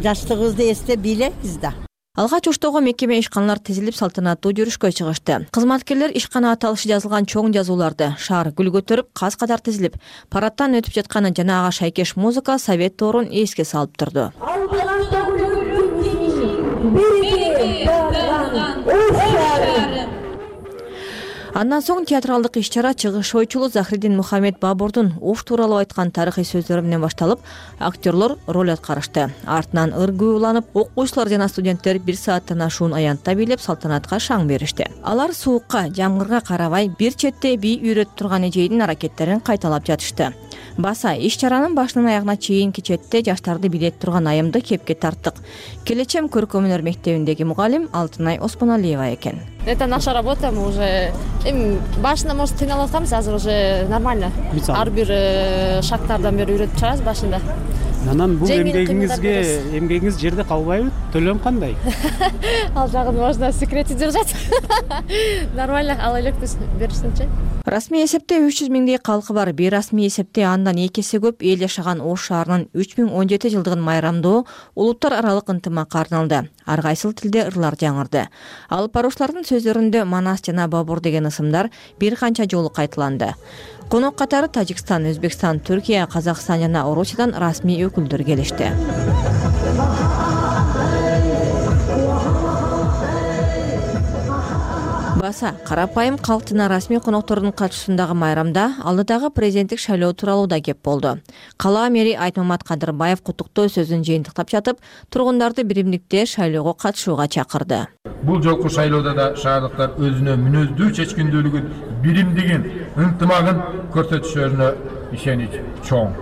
Жаштыгыбызды эстеп бийлейбиз да. Алгач Оштого мекеме ишканалар тизилип салтанаттуу жүрүшкө чыгышты. Кызматкерлер ишкана аталышы жазылган чоң жазууларды, шаар гүл көтөрүп, каз катар тизилип, парадтан өтүп жатканы жана ага шайкеш музыка Совет доорун эске салып турду. Андан соң театралдык иш-чара чыгыш ойчулу Захриддин Мухаммед Бабурдун Ош тууралуу айткан тарыхый сөздөрү менен башталып, актерлор роль аткарышты. Артынан ыр-күү уланып, окуучулар жана студенттер 1 сааттан ашуун аянтта бийлеп салтанатка шаң беришти. Алар суукка, жамгырга карабай бир четте бий үйрөтүп турган эжейдин аракеттерин кайталап жатышты. Баса иш-чаранын башынан аягына чейинки четте жаштарды бийлетип турган айымды кепке тарттык. Келечем көркөм өнөр мектебиндеги мугалим Алтынай Оспоналиева экен. Это наша работа, мы уже башында может кыйналып атканбыз, азыр уже нормально. Ар бир шагтардан бери үйрөтүп чыгабыз башында. Анан бул эмгегиңиз жерде калбайбы? Төлөм кандай? Ал жагын можно секретте держать. Нормально, ал электе беришинчи. Расмий эсепте 300 миңдей калкы бар. Бейрасмий эсепте андан 2 эсе көп эл жашаган Ош шаарынын 3017 жылдыгын майрамдоо улуттар аралык ынтымакка арналды. Ар кайсыл тилде ырлар жаңырды. Алып баруучулардын сөздөрүндө Манас жана Бабур деген ысымдар бир канча жолу кайталанды. Конок катары Тажикстан, Өзбекстан, Түркия, Казакстан жана Орусиядан расмий өкүлдөр келишти. Баса карапайым калк жана расмий коноктордун катышуусундагы майрамда алдыдагы президенттик шайлоо тууралуу да кеп болду. Кала мэри Айтмамат Кадырбаев куттуктоо сөзүн жыйынтыктап жатып, тургундарды биримдикте шайлоого катышууга чакырды. Бул жолку шайлоодо да шаардыктар өзүнө мүнөздүү чечкиндүүлүгүн, биримдигин, ынтымагын көрсөтүшөрүнө ишенич чоң.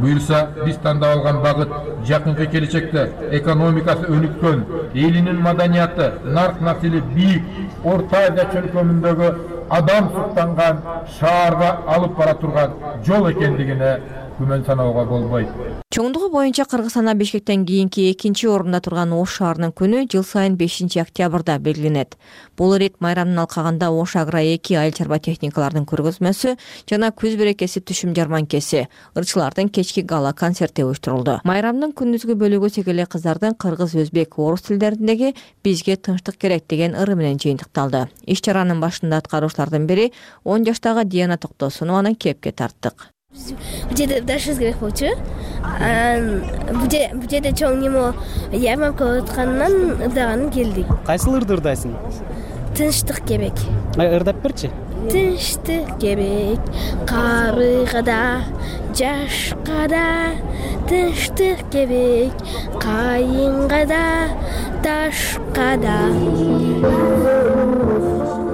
Буюрса, биз тандап алган багыт жакынкы келечекте экономикасы өнүккөн, элинин маданияты, нарк насили бийик, Орта Азия чөлкөмүндөгү адам суктанган шаарга алып бара турган жол экендигине күмөн саноого болбойт. Чоңдугу боюнча Кыргызстанда Бишкектен кийинки 2-орунда турган Ош шаарынын күнү жыл сайын 5-октябрда белгиленет. Бул ирет майрамдын алкагында Ош Агро 2 айыл чарба техникалардын көргөзмөсү жана күз берекеси түшүм жарманкеси, ырчылардын кечки гала концерти уюштурулду. Майрамдын күндүзгү бөлүгү сегеле кыздардын кыргыз, өзбек, орус тилдериндеги бизге тынчтык керек деген ыры менен жыйынтыкталды. Иш-чаранын башында аткаруучулардын бири 10 жаштагы Диана Токтосунованы кепке тарттык. Бул жерде дашыбыз керек болчу. Бул жерде чоң немо ярмарка өткөнүнөн ырдаганын келдик. Кайсыл ырды ырдайсың? Тынчтык керек. Ырдап берчи. тынчтык керек, карыга да, жашка да тынчтык керек, кайынга да, ташка да.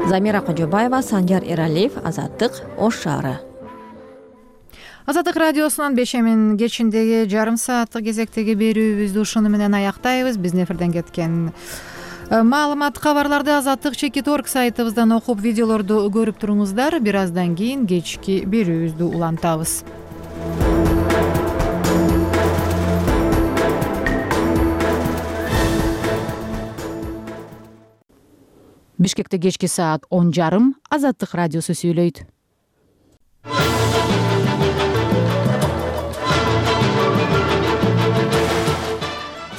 Замира Кожобаева, Санжар Эралиев, Азаттык, Ош шаары. Азаттык радиосунун бешемин кечиндеги жарым сааттык кезектеги берүүбүздү ушуну менен аяктайбыз. Биздин эфирден кеткен маалымат, кабарларды Азаттык.org сайтыбыздан окуп, видеолорду көрүп туруңуздар. Бир аздан кийин кечки берүүбүздү улантабыз. Бишкекте кечки саат 10:30. Азаттык радиосу сүйлөйт.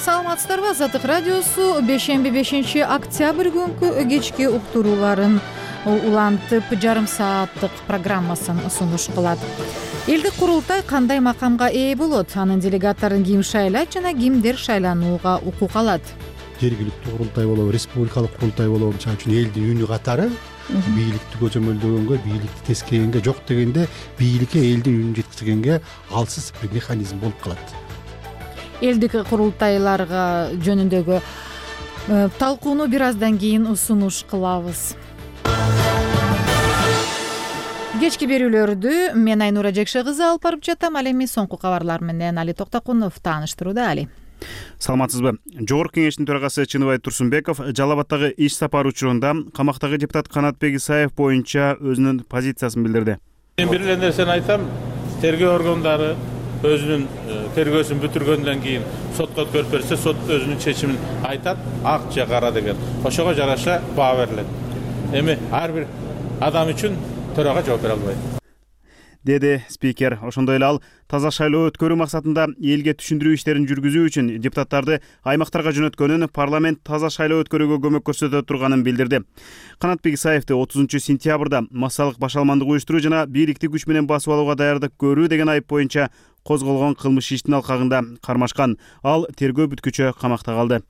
Саламатсыздарбы? Азаттык радиосу бешемби 5-октябрь күнкү кечки уктурууларын улантып, жарым сааттык программасын сунуш кылат. Элдик курултай кандай макамга ээ болот? Анын делегаттарын ким шайлайт жана кимдер шайланууга укук алат? Жергиликтүү курултай болобу, республикалык курултай болобу, мисалы үчүн элдин үнү катары бийликти көзөмөлдөгөнгө, бийликти тескегенге, жок дегенде бийликке элдин үнүн жеткизгенге алсыз бир механизм болуп калат. Элдик курултайларга жөнүндөгү талкууну бир аздан кийин сунуш кылабыз. Кечки берүүлөрдү мен Айнура Жекше кызы алып барып жатам. Ал эми соңку кабарлар менен Али Токтокунов тааныштырууда. Али. Саламатсызбы? Жогорку кеңештин төрагасы Чыныбай Турсунбеков Жалал Абаддагы иш сапары учурунда камактагы депутат Канатбек Исаев боюнча өзүнүн позициясын билдирди. Мен бир эле нерсени айтам, тергөө органдары өзүнүн тергөөсүн бүтүргөндөн кийин сотко өткөрүп берсе, сот өзүнүн чечимин айтат, ак же кара деген. Ошого жараша баа берилет. Эми ар бир адам үчүн төрага жооп бере албайт, деди спикер. Ошондой эле ал таза шайлоо өткөрүү максатында элге түшүндүрүү иштерин жүргүзүү үчүн депутаттарды аймактарга жөнөткөнүн, парламент таза шайлоо өткөрүүгө көмөк көрсөтө турганын билдирди. Канатбек Исаевди 30-сентябрда массалык башаламандык уюштуруу жана бийликти күч менен басып алууга даярдык көрүү деген айып боюнча козголгон кылмыш иштин алкагында кармашкан. Ал тергөө бүткүчө камакта калды.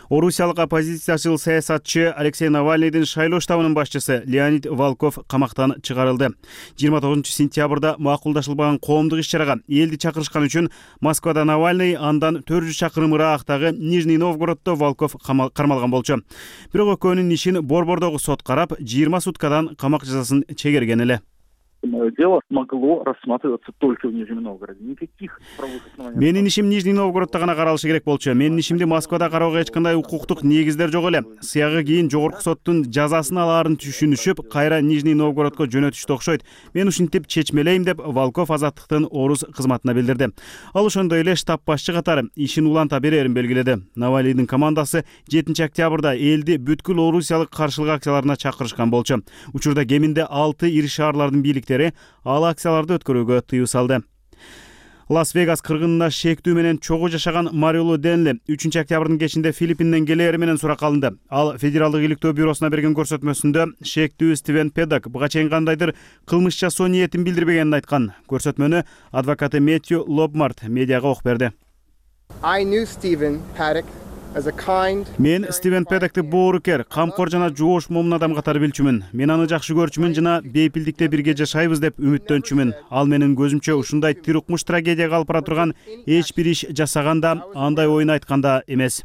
Орусиялык оппозициячыл саясатчы Алексей Навальныйдын шайлоо штабынын башчысы Леонид Волков камактан чыгарылды. 29-сентябрда макулдашылбаган коомдук иш-чарага элди чакырышкан үчүн Москвада Навальный, андан 400 чакырым ыраагытагы Нижний Новгороддо Волков кармалган болчу. Бирок экөөнүн ишин Борбордогу сот карап, 20 суткадан камак жазасын чегерген эле. Дело могло рассматриваться только в Нижнем Новгороде. Никаких правовых оснований. Менин ишим Нижний Новгороддо гана каралышы керек болчу. Менин ишимди Москвада кароого эч кандай укуктук негиздер жок эле. Сыягы кийин жогорку соттун жазасын алаарын түшүнүшүп, кайра Нижний Новгородко жөнөтүштү окшойт. Мен ушинтип чечмелейм деп Волков Азаттыктын Орус кызматына билдирди. Ал ошондой эле штаб башчы катары ишин уланта берерин белгиледи. Навальныйдын командасы 7-октябрда элди бүткүл Орусиялык каршылык акцияларына чакырышкан болчу. Учурда кеминде 6 ири шаарлардын бийликтери ал акцияларды өткөрүүгө тыюу салды. Лас-Вегас кыргынына шектүү менен чогуу жашаган Марилу Денли 3-октябрдын кечинде Филиппинден келери менен суракка алынды. Ал Федералдык иликтөө бюросуна берген көрсөтмөсүндө шектүү Стивен Педок буга чейин кандайдыр кылмыш жасоо ниетин билдирбегенин айткан. Көрсөтмөнү адвокаты Мэтью Лобмарт медиага окуп берди. Мен Стивен Педокти боорукер, камкор жана жоош момун адам катары билчүмүн. Мен аны жакшы көрчүмүн жана бейпилдикте бирге жашайбыз деп үмүттөнчүмүн. Ал менин көзүмчө ушундай тирукмуш трагедияга алып бара турган эч бир иш жасаганда, андай оюн айтканда эмес.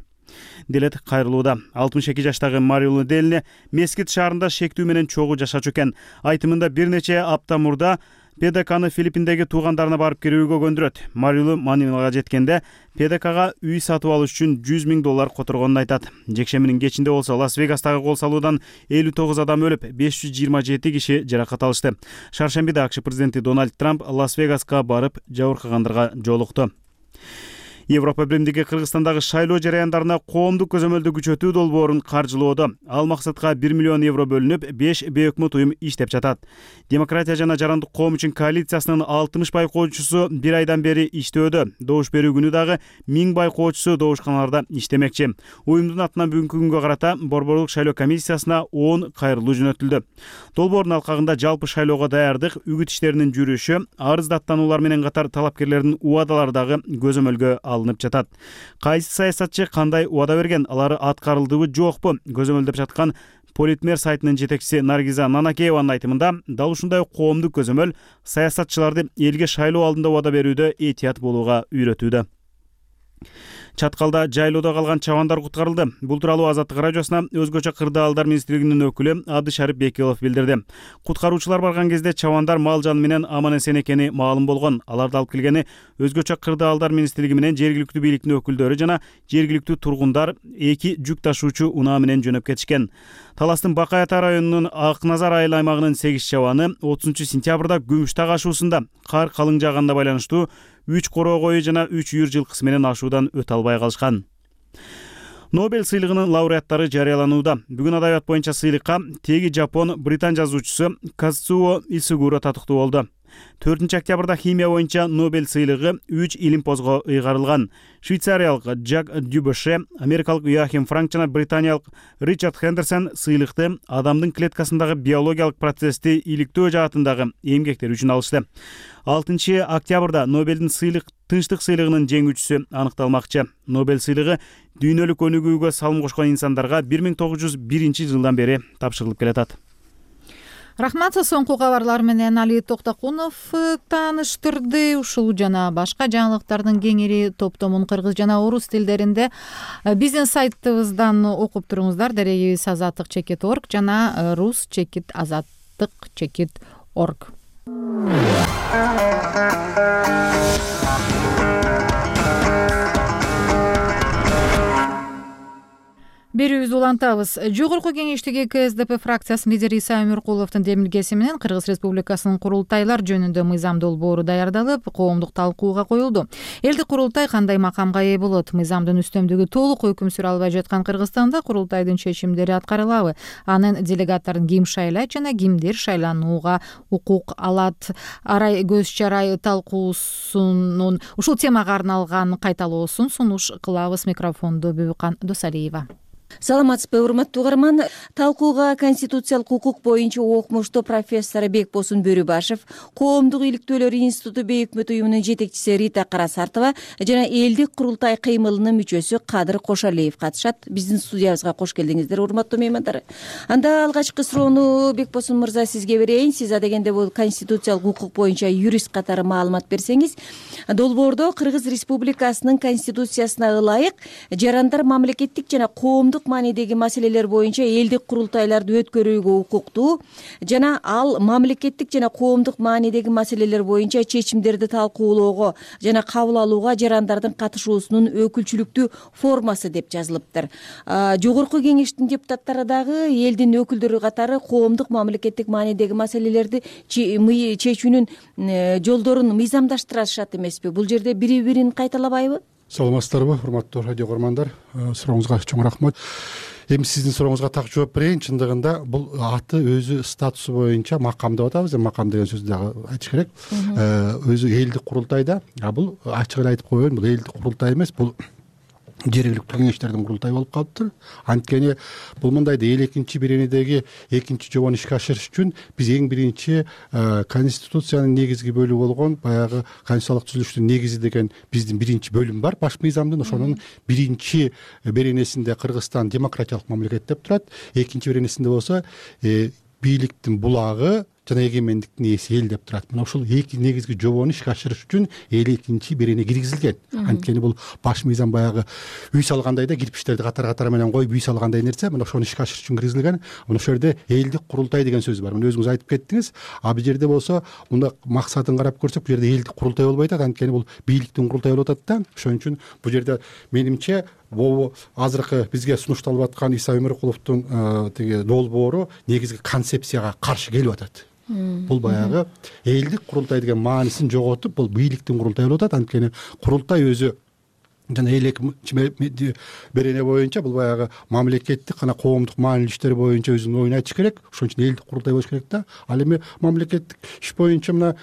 Делет кайрылууда. 62 жаштагы Марилу Денли Мескит шаарында шектүү менен чогуу жашачу экен. Айтымында бир нече апта мурда Педок аны Филиппиндеги туугандарына барып келүүгө көндүрөт. Марилу Манилага жеткенде Педок ага үй сатып алыш үчүн $100,000 которгонун айтат. Жекшембинин кечинде болсо Лас-Вегастагы кол салуудан 59 адам өлүп, 527 киши жаракат алышты. Шаршембиде АКШ президенти Дональд Трамп Лас-Вегаска барып жабыркагандарга жолукту. Европа биримдиги Кыргызстандагы шайлоо жараяндарына коомдук көзөмөлдү күчөтүү долбоорун каржылоодо. Ал максатка 1 миллион евро бөлүнүп, 5 бейөкмөт уюм иштеп жатат. Демократия жана жарандык коом үчүн коалициясынын 60 байкоочусу бир айдан бери иштөөдө. Добуш берүү күнү дагы 1000 байкоочусу добушканаларда иштемекчи. Уюмдун атынан бүгүнкү күнгө карата Борборлук шайлоо комиссиясына 10 кайрылуу жөнөтүлдү. Долбоордун алкагында жалпы шайлоого даярдык, үгүт иштеринин жүрүшү, арыз даттануулар менен катар талапкерлердин убадалары дагы көзөмөлгө алынып жатат. Кайсы саясатчы кандай убада берген, алары аткарылдыбы жокпу көзөмөлдөп жаткан Политмер сайтынын жетекчиси Наргиза Нанакееванын айтымында дал ушундай коомдук көзөмөл саясатчыларды элге шайлоо алдында убада берүүдө этият болууга үйрөтүүдө. Чаткалда жайлоодо калган чабандар куткарылды. Бул тууралуу Азаттык радиосуна өзгөчө кырдаалдар министрлигинин өкүлү Абдышарып Бекилов билдирди. Куткаруучулар барган кезде чабандар мал жан менен аман-эсен экени маалым болгон. Аларды алып келгени өзгөчө кырдаалдар министрлиги менен жергиликтүү бийликтин өкүлдөрү жана жергиликтүү тургундар 2 жүк ташуучу унаа менен жөнөп кетишкен. Таластын Бакай Ата районунун Ак Назар айыл аймагынын 8 чабаны 30-сентябрда Күмүштаг ашуусунда кар калың жааганда байланыштуу 3 короо кою жана 3 үйүр жылкысы менен ашуудан өтө албай калышкан. Нобель сыйлыгынын лауреаттары жарыяланууда. Бүгүн адабият боюнча сыйлыкка теги Жапон британ жазуучусу Казуо Исугуро татыктуу болду. 4-октябрда химия боюнча Нобель сыйлыгы 3 илимпозго ыйгарылган. Швейцариялык Жак Дюбоше, америкалык Йоахим Франк жана британиялык Ричард Хендерсон сыйлыкты адамдын клеткасындагы биологиялык процессти иликтөө жаатындагы эмгектери үчүн алышты. 6-октябрда Нобелдин тынчтык сыйлыгынын жеңүүчүсү аныкталмакчы. Нобель сыйлыгы дүйнөлүк өнүгүүгө салым кошкон инсандарга 1901-жылдан бери тапшырылып келатат. Рахмат, соңку кабарлар менен Али Токтокунов тааныштырды. Ушул жана башка жаңылыктардын кеңири топтомун кыргыз жана орус тилдеринде биздин сайтыбыздан окуп туруңуздар. Дарегибиз azatlyk.org жана rus.azatlyk.org. Берүүбүздү улантабыз. Жогорку кеңештеги КСДП фракциясынын лидери Иса Өмүркуловдун демилгеси менен Кыргыз Республикасынын курултайлар жөнүндө мыйзам долбоору даярдалып, коомдук талкууга коюлду. Элдик курултай кандай макамга ээ болот? Мыйзамдын үстөмдүгү толук өкүм сүрө албай жаткан Кыргызстанда курултайдын чечимдери аткарылабы? Анын делегаттарын ким шайлайт жана кимдер шайланууга укук алат? Арай көз чарай талкуусунун ушул темага арналган кайталоосун сунуш кылабыз. Микрофонду Бүбүкан Досалиева. Саламатсызбы, урматтуу угарман. Талкууга конституциялык укук боюнча окумуштуу профессор Бекбосун Бөрүбашев, Коомдук иликтөөлөр институту бейөкмөт уюмунун жетекчиси Рита Карасартова жана элдик курултай кыймылынын мүчөсү Кадыр Кошалиев катышат. Биздин студиябызга кош келдиңиздер, урматтуу меймандар. Анда алгачкы суроону Бекбосун мырза сизге берейин. Сиз адегенде бул конституциялык укук боюнча юрист катары маалымат берсеңиз, долбоордо Кыргыз Республикасынын конституциясына ылайык жарандар мамлекеттик жана коомдук маанидеги маселелер боюнча элдик курултайларды өткөрүүгө укуктуу жана ал мамлекеттик жана коомдук маанидеги маселелер боюнча чечимдерди талкуулоого жана кабыл алууга жарандардын катышуусунун өкүлчүлүктүү формасы деп жазылыптыр. Жогорку кеңештин депутаттары дагы элдин өкүлдөрү катары коомдук мамлекеттик маанидеги маселелерди чечүүнүн жолдорун мыйзамдаштырышат эмеспи? Бул жерде бири-бирин кайталабайбы? Саламатсыздарбы, урматтуу радио көрөрмандар. Сурооңузга чоң рахмат. Эми сиздин сурооңузга так жооп берейин. Чындыгында бул аты өзү статусу боюнча макам деп атабыз. Макам деген сөздү дагы айтыш керек. Өзү элдик курултайда, бул ачык эле айтып коеюн, бул элдик курултай эмес, бул жергиликтүү кеңештердин курултайы болуп калыптыр. Анткени бул мындайда эл экинчи беренедеги экинчи жобону ишке ашырыш үчүн биз эң биринчи конституциянын негизги бөлүгү болгон баягы конституциялык түзүлүштүн негизи деген биздин биринчи бөлүм бар баш мыйзамдын. Ошонун биринчи беренесинде Кыргызстан демократиялык мамлекет деп турат. Экинчи беренесинде болсо бийликтин булагы жана эгемендиктин ээси эл деп турат. Мына ушул эки негизги жобону ишке ашырыш үчүн эл экинчи берене киргизилген. Анткени бул баш мыйзам баягы үй салгандай да кирпичтерди катар менен коюп үй салгандай нерсе. Мына ошону ишке ашырыш үчүн киргизилген. Мына ошол жерде элдик курултай деген сөз бар. Мына өзүңүз айтып кеттиңиз. Бул жерде болсо мында максатын карап көрсөк, бул жерде элдик курултай болбой атат. Анткени бул бийликтин курултайы болуп атат да. Ошон үчүн бул жерде менимче азыркы бизге сунушталып аткан Иса Өмүркуловдун тиги долбоору негизги концепцияга каршы келип атат. Бул баягы элдик курултай деген маанисин жоготуп, бул бийликтин курултайы болуп атат. Анткени курултай өзү жана эл экинчи берене боюнча бул баягы мамлекеттик жана коомдук маанилүү иштер боюнча өзүнүн оюн айтыш керек. Ошон үчүн элдик курултай болуш керек да. Ал эми мамлекеттик иш боюнча мына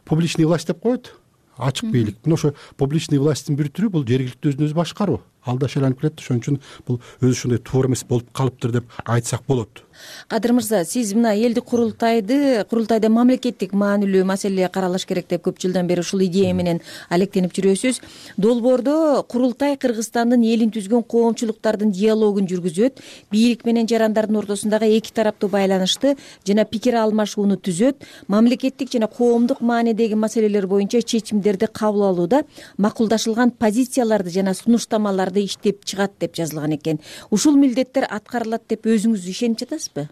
публичный власть деп коет. Ачык бийлик. Мына ошо публичный власттын бир түрү бул жергиликтүү өзүн өзү башкаруу. Ал да шайланып келет. Ошон үчүн бул өзү ушундай туура эмес болуп калыптыр деп айтсак болот. Кадыр мырза, сиз мына элдик курултайда мамлекеттик маанилүү маселе каралыш керек деп көп жылдан бери ушул идея менен алектенип жүрөсүз. Долбоордо курултай Кыргызстандын элин түзгөн коомчулуктардын диалогун жүргүзөт, бийлик менен жарандардын ортосундагы эки тараптуу байланышты жана пикир алмашууну түзөт, мамлекеттик жана коомдук маанидеги маселелер боюнча чечимдерди кабыл алууда макулдашылган позицияларды жана сунуштамаларды иштеп чыгат деп жазылган экен. Ушул милдеттер аткарылат деп өзүңүз ишенип жатасызбы?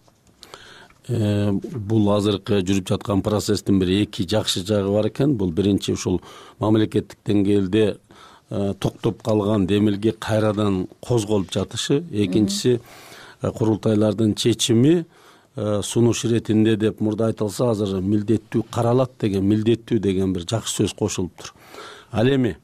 Бул азыркы жүрүп жаткан процесстин бир эки жакшы жагы бар экен. Бул биринчи ушул мамлекеттик деңгээлде токтоп калган демилге кайрадан козголуп жатышы, экинчиси курултайлардын чечими сунуш иретинде деп мурда айтылса, азыр милдеттүү каралат деген, милдеттүү деген бир жакшы сөз кошулуптур. Ал эми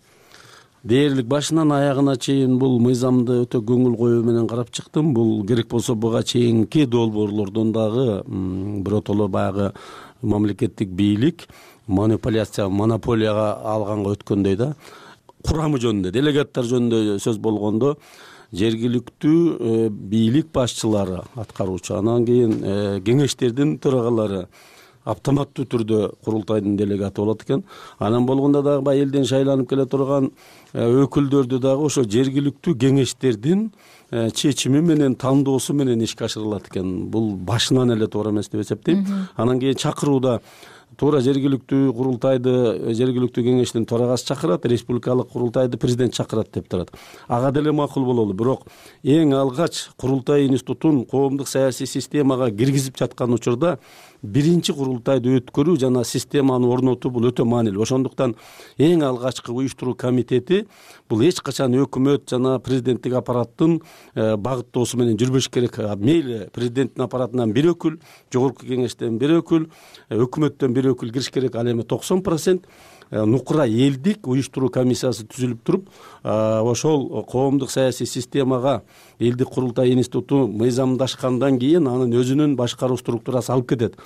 дээрлик башынан аягына чейин бул мыйзамды өтө көңүл коюу менен карап чыктым. Бул керек болсо буга чейинки долбоорлордон дагы биротоло баягы мамлекеттик бийлик монополияга алганга өткөндөй да. Курамы жөнүндө, делегаттар жөнүндө сөз болгондо жергиликтүү бийлик башчылары, аткаруучу, анан кийин кеңештердин төрагалары автоматтуу түрдө курултайдын делегаты болот экен. Анан болгондо дагы баягы элден шайланып келе турган өкүлдөрдү дагы ошо жергиликтүү кеңештердин чечими менен, тандоосу менен ишке ашырылат экен. Бул башынан эле туура эмес деп эсептейм. Анан кийин чакырууда туура жергиликтүү курултайды жергиликтүү кеңештин төрагасы чакырат, республикалык курултайды президент чакырат деп турат. Ага деле макул бололу. Бирок эң алгач курултай институтун коомдук саясий системага киргизип жаткан учурда биринчи курултайды өткөрүү жана системаны орнотуу бул өтө маанилүү. Ошондуктан эң алгачкы уюштуруу комитети бул эч качан өкмөт жана президенттик аппараттын багыттоосу менен жүрбөш керек. Мейли президенттин аппаратынан бир өкүл, жогорку кеңештен бир өкүл, өкмөттөн бир өкүл кириш керек. Ал эми 90% нукура элдик уюштуруу комиссиясы түзүлүп туруп, ошол коомдук саясий системага элдик курултай институту мыйзамдашкандан кийин анын өзүнүн башкаруу структурасы алып кетет.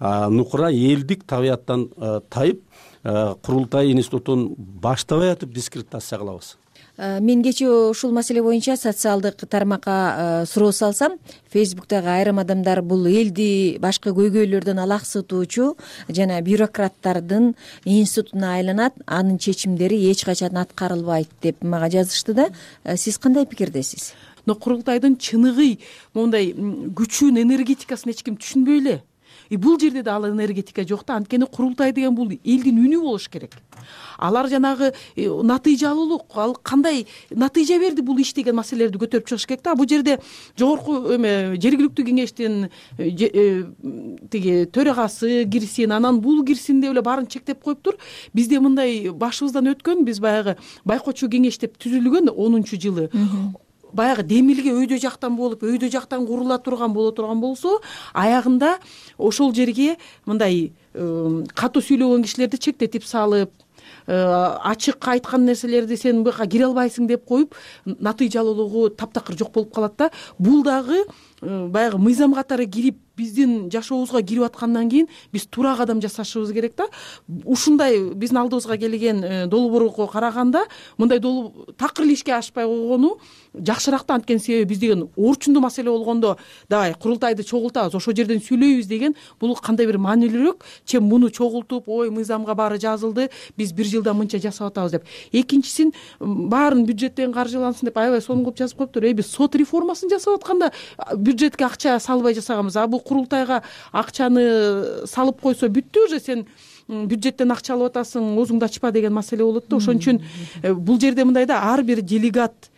Нукура элдик табияттан тайып, курултай институтун баштабай атып дискредитация кылабыз. Мен кечээ ушул маселе боюнча социалдык тармакка суроо салсам, Facebook'тагы айрым адамдар бул элди башка көйгөйлөрдөн алаксытуучу жана бюрократтардын институтуна айланат, анын чечимдери эч качан аткарылбайт деп мага жазышты да. Сиз кандай пикирдесиз? Но курултайдын чыныгы мондай күчүн, энергетикасын эч ким түшүнбөй эле. Бул жерде да ал энергетика жок да. Анткени курултай деген бул элдин үнү болуш керек. Алар жанагы натыйжалуулук, ал кандай натыйжа берди бул иш деген маселелерди көтөрүп чыгыш керек да. Бул жерде жогорку жергиликтүү кеңештин тиги төрагасы кирсин, анан бул кирсин деп эле баарын чектеп коюптур. Бизде мындай башыбыздан өткөн, биз баягы байкоочу кеңеш деп түзүлгөн 10-жылы. Баягы демилге өйдө жактан болуп, өйдө жактан курула турган болсо, аягында ошол жерге мындай катуу сүйлөгөн кишилерди чектетип салып, ачык айткан нерселерди сен буга кире албайсың деп коюп, натыйжалуулугу таптакыр жок болуп калат да. Бул дагы баягы мыйзам катары кирип, биздин жашообузга кирип аткандан кийин биз туура кадам жасашыбыз керек да. Ушундай биздин алдыбызга келген долбоорго караганда мындай такыр эле ишке ашпай койгону жакшыраак да. Анткени себеби биз деген орчундуу маселе болгондо давай курултайды чогултабыз, ошол жерден сүйлөйбүз деген бул кандай бир маанилүүрөөк, чем муну чогултуп, ой мыйзамга баары жазылды, биз бир жылда мынча жасап атабыз деп. Экинчисин баарын бюджеттен каржылансын деп аябай сонун кылып жазып коюптур. Биз сот реформасын жасап атканда бюджетке акча салбай жасаганбыз. Бул курултайга акчаны салып койсо бүттү, уже сен бюджеттен акча алып атасың, оозуңду ачпа деген маселе болот да. Ошон үчүн бул жерде мындай да, ар бир делегат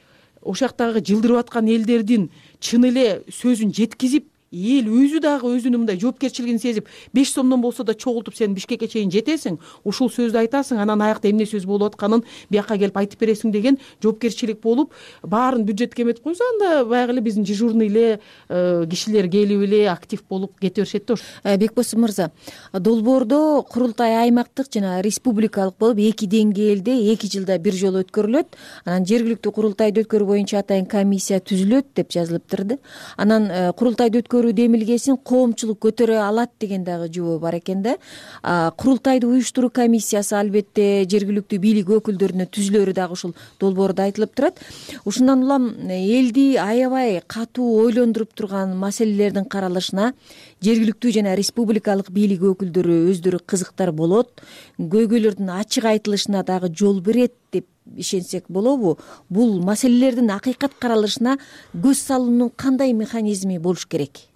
ошол жактагы жылдырып аткан элдердин чын эле сөзүн жеткизип, эл өзү дагы өзүнүн мындай жоопкерчилигин сезип, 5 сомдон болсо да чогултуп сен Бишкекке чейин жетесиң, ушул сөздү айтасың, анан аякта эмне сөз болуп атканын бияка келип айтып бересиң деген жоопкерчилик болуп, баарын бюджетке эметип койсо, анда баягы эле биздин дежурный эле кишилер келип эле актив болуп кете беришет да. Бекбосун мырза, долбоордо курултай аймактык жана республикалык болуп 2 деңгээлде 2 жылда бир жолу өткөрүлөт. Анан жергиликтүү курултайды өткөрүү боюнча атайын комиссия түзүлөт деп жазылып турду. Анан курултайды өткөрүү өткөрүү демилгесин коомчулук көтөрө алат деген дагы жобо бар экен да. Курултайды уюштуруу комиссиясы албетте жергиликтүү бийлик өкүлдөрүнө түзүлөрү дагы ушул долбоордо айтылып турат. Ушундан улам элди аябай катуу ойлондуруп турган маселелердин каралышына жергиликтүү жана республикалык бийлик өкүлдөрү өздөрү кызыктар болот, көйгөйлөрдүн ачык айтылышына дагы жол берет деп ишенсек болобу? Бул маселелердин акыйкат каралышына көз салуунун кандай механизми болуш керек?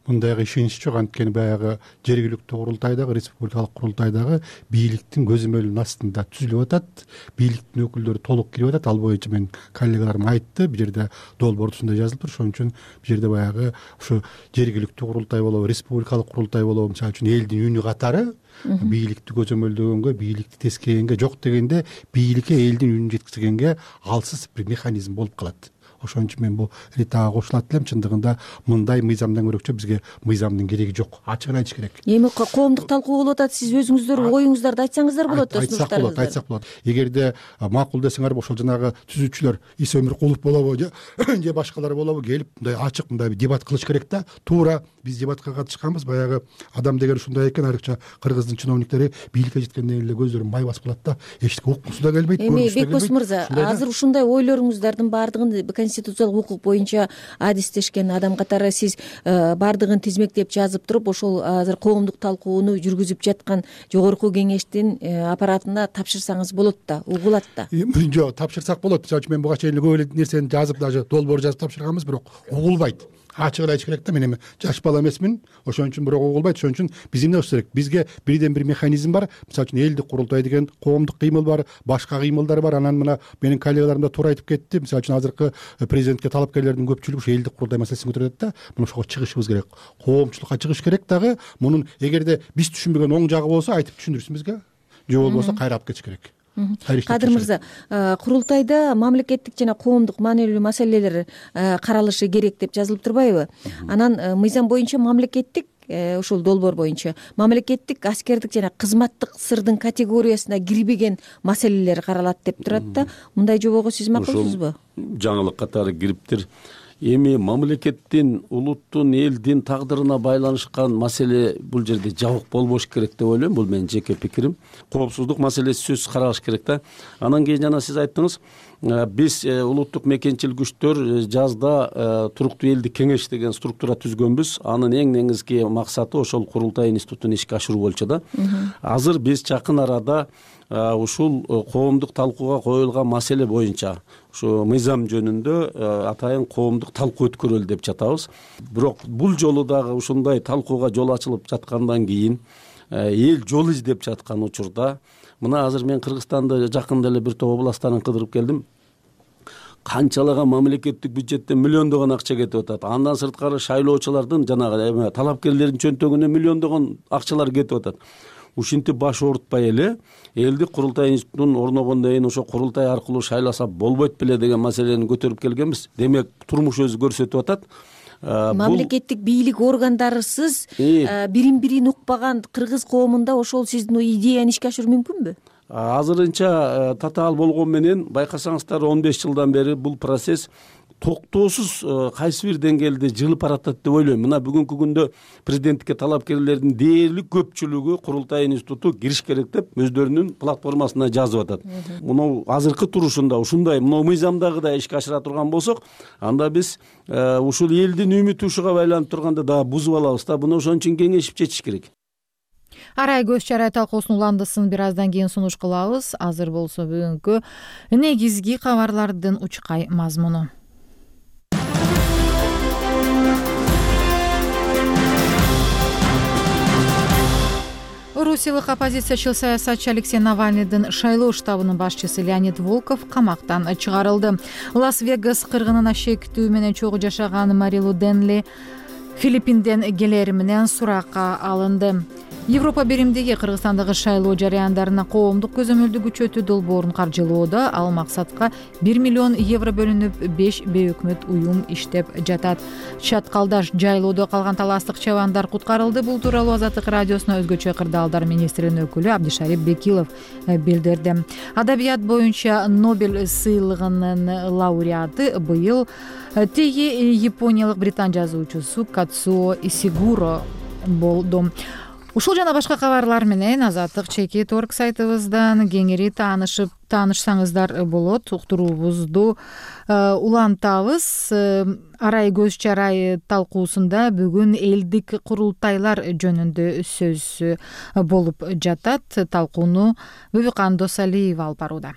Мындайга ишенич жок, анткени баягы жергиликтүү курултайдагы, республикалык курултайдагы бийликтин көзөмөлүнүн астында түзүлүп атат. Бийликтин өкүлдөрү толук кирип атат. Ал боюнча мен коллегаларым айтты, бул жерде долбоордо ушундай жазылып тур. Ошон үчүн бул жерде баягы ушу жергиликтүү курултай болобу, республикалык курултай болобу, мисалы үчүн элдин үнү катары бийликти көзөмөлдөгөнгө, бийликти тескегенге, жок дегенде бийликке элдин үнүн жеткизгенге алсыз бир механизм болуп калат. Ошон үчүн мен бул ритага кошулат элем. Чындыгында мындай мыйзамдан көрөкчө бизге мыйзамдын кереги жок. Ачыгын айтыш керек. Эми коомдук талкуу болуп атат. Сиз өзүңүздөр оюңуздарды айтсаңыздар болот. Айтсак болот. Эгерде макул десеңер, ошол жанагы түзүүчүлөр Иса Өмүркулов болобу же башкалар болобу келип мындай ачык мындай дебат кылыш керек да. Туура биз дебатка катышканбыз. Баягы адам деген ушундай экен, айрыкча кыргыздын чиновниктери бийликке жеткенден эле көздөрүн май басып калат да. Эчтеке уккусу да келбейт. Эми Бекбос мырза, азыр ушундай ойлоруңуздардын баардыгын конституциялык укук боюнча адистешкен адам катары сиз баардыгын тизмектеп жазып туруп, ошол азыр коомдук талкууну жүргүзүп жаткан жогорку кеңештин аппаратына тапшырсаңыз болот да, угулат да. Жок, тапшырсак болот. Мисалы үчүн мен буга чейин көп эле нерсени жазып, даже долбоор жазып тапшырганбыз, бирок угулбайт. Ачыгын айтыш керек да. Мен эми жаш бала эмесмин, ошон үчүн бирок угулбайт. Ошон үчүн биз эмне кылыш керек? Бизге бирден бир механизм бар. Мисалы үчүн элдик курултай деген коомдук кыймыл бар, башка кыймылдар бар. Анан мына менин коллегаларым да туура айтып кетти. Мисалы үчүн азыркы президентке талапкерлердин көпчүлүгү ушу элдик курултай маселесин көтөрөт да. Мына ошого чыгышыбыз керек. Коомчулукка чыгыш керек дагы. Мунун эгерде биз түшүнбөгөн оң жагы болсо айтып түшүндүрсүн бизге. Же болбосо кайра алып кетиш керек. Кадыр мырза, курултайда мамлекеттик жана коомдук маанилүү маселелер каралышы керек деп жазылып турбайбы? Анан мыйзам боюнча мамлекеттик, ушул долбоор боюнча мамлекеттик, аскердик жана кызматтык сырдын категориясына кирбеген маселелер каралат деп турат да. Мындай жобого сиз макулсузбу? Жаңылык катары кириптир. Эми мамлекеттин, улуттун, элдин тагдырына байланышкан маселе бул жерде жабык болбош керек деп ойлойм. Бул менин жеке пикирим. Коопсуздук маселеси сөзсүз каралыш керек да. Анан кийин жана сиз айттыңыз, биз улуттук мекенчил күчтөр жазда туруктуу элдик кеңеш деген структура түзгөнбүз. Анын эң негизги максаты ошол курултай институтун ишке ашыруу болчу да. Азыр биз жакын арада ушул коомдук талкууга коюлган маселе боюнча ушу мыйзам жөнүндө атайын коомдук талкуу өткөрөлү деп жатабыз. Бирок бул жолу дагы ушундай талкууга жол ачылып жаткандан кийин эл жол издеп жаткан учурда, мына азыр мен Кыргызстанда жакында эле бир топ областтарын кыдырып келдим. Канчалаган мамлекеттик бюджеттен миллиондогон акча кетип атат. Андан сырткары шайлоочулардын жанагы талапкерлердин чөнтөгүнө миллиондогон акчалар кетип атат. Ушинтип баш оорутпай эле элдик курултай институтун орногондон кийин ошо курултай аркылуу шайласа болбойт беле деген маселени көтөрүп келгенбиз. Демек турмуш өзү көрсөтүп атат. Мамлекеттик бийлик органдарысыз бирин укпаган кыргыз коомунда ошол сиздин идеяны ишке ашыруу мүмкүнбү? Азырынча татаал болгон менен байкасаңыздар 15 жылдан бери бул процесс токтоосуз кайсы бир деңгээлде жылып баратат деп ойлойм. Мына бүгүнкү күндө президенттикке талапкерлердин дээрлик көпчүлүгү курултай институту кириш керек деп өздөрүнүн платформасына жазып атат. Муну азыркы турушунда ушундай мына мыйзамдагыдай ишке ашыра турган болсок, анда биз ушул элдин үмүтү ушуга байланып турганда дагы бузуп алабыз да. Буну ошон үчүн кеңешип чечиш керек. Арай көз чарай талкуусунун уландысын бир аздан кийин сунуш кылабыз. Азыр болсо бүгүнкү негизги кабарлардын учкай мазмуну. Орусиялык оппозициячыл саясатчы Алексей Навальныйдын шайлоо штабынын башчысы Леонид Волков камактан чыгарылды. Лас-Вегас кыргынына шектүү менен чогуу жашаган Марилу Денли Филиппинден келери менен суракка алынды. Европа биримдиги Кыргызстандагы шайлоо жарыяндарына коомдук көзөмөлдү күчөтүү долбоорун каржылоодо. Ал максатка 1 миллион евро бөлүнүп, 5 бейөкмөт уюм иштеп жатат. Чаткалдаш жайлоодо калган таластык чабандар куткарылды. Бул тууралуу Азаттык радиосуна өзгөчө кырдаалдар министринин өкүлү Абдишарип Бекилов билдирди. Адабият боюнча Нобель сыйлыгынын лауреаты быйыл теги япониялык британ жазуучусу Кацуо Исигуро болду. Ушул жана башка кабарлар менен Азаттык Чекит орг сайтыбыздан кеңири таанышсаңыздар болот. Уктуруубузду улантабыз. Арай көз чарай талкуусунда бүгүн элдик курултайлар жөнүндө сөз болуп жатат. Талкууну Бүбүкан Досалиева алып барууда.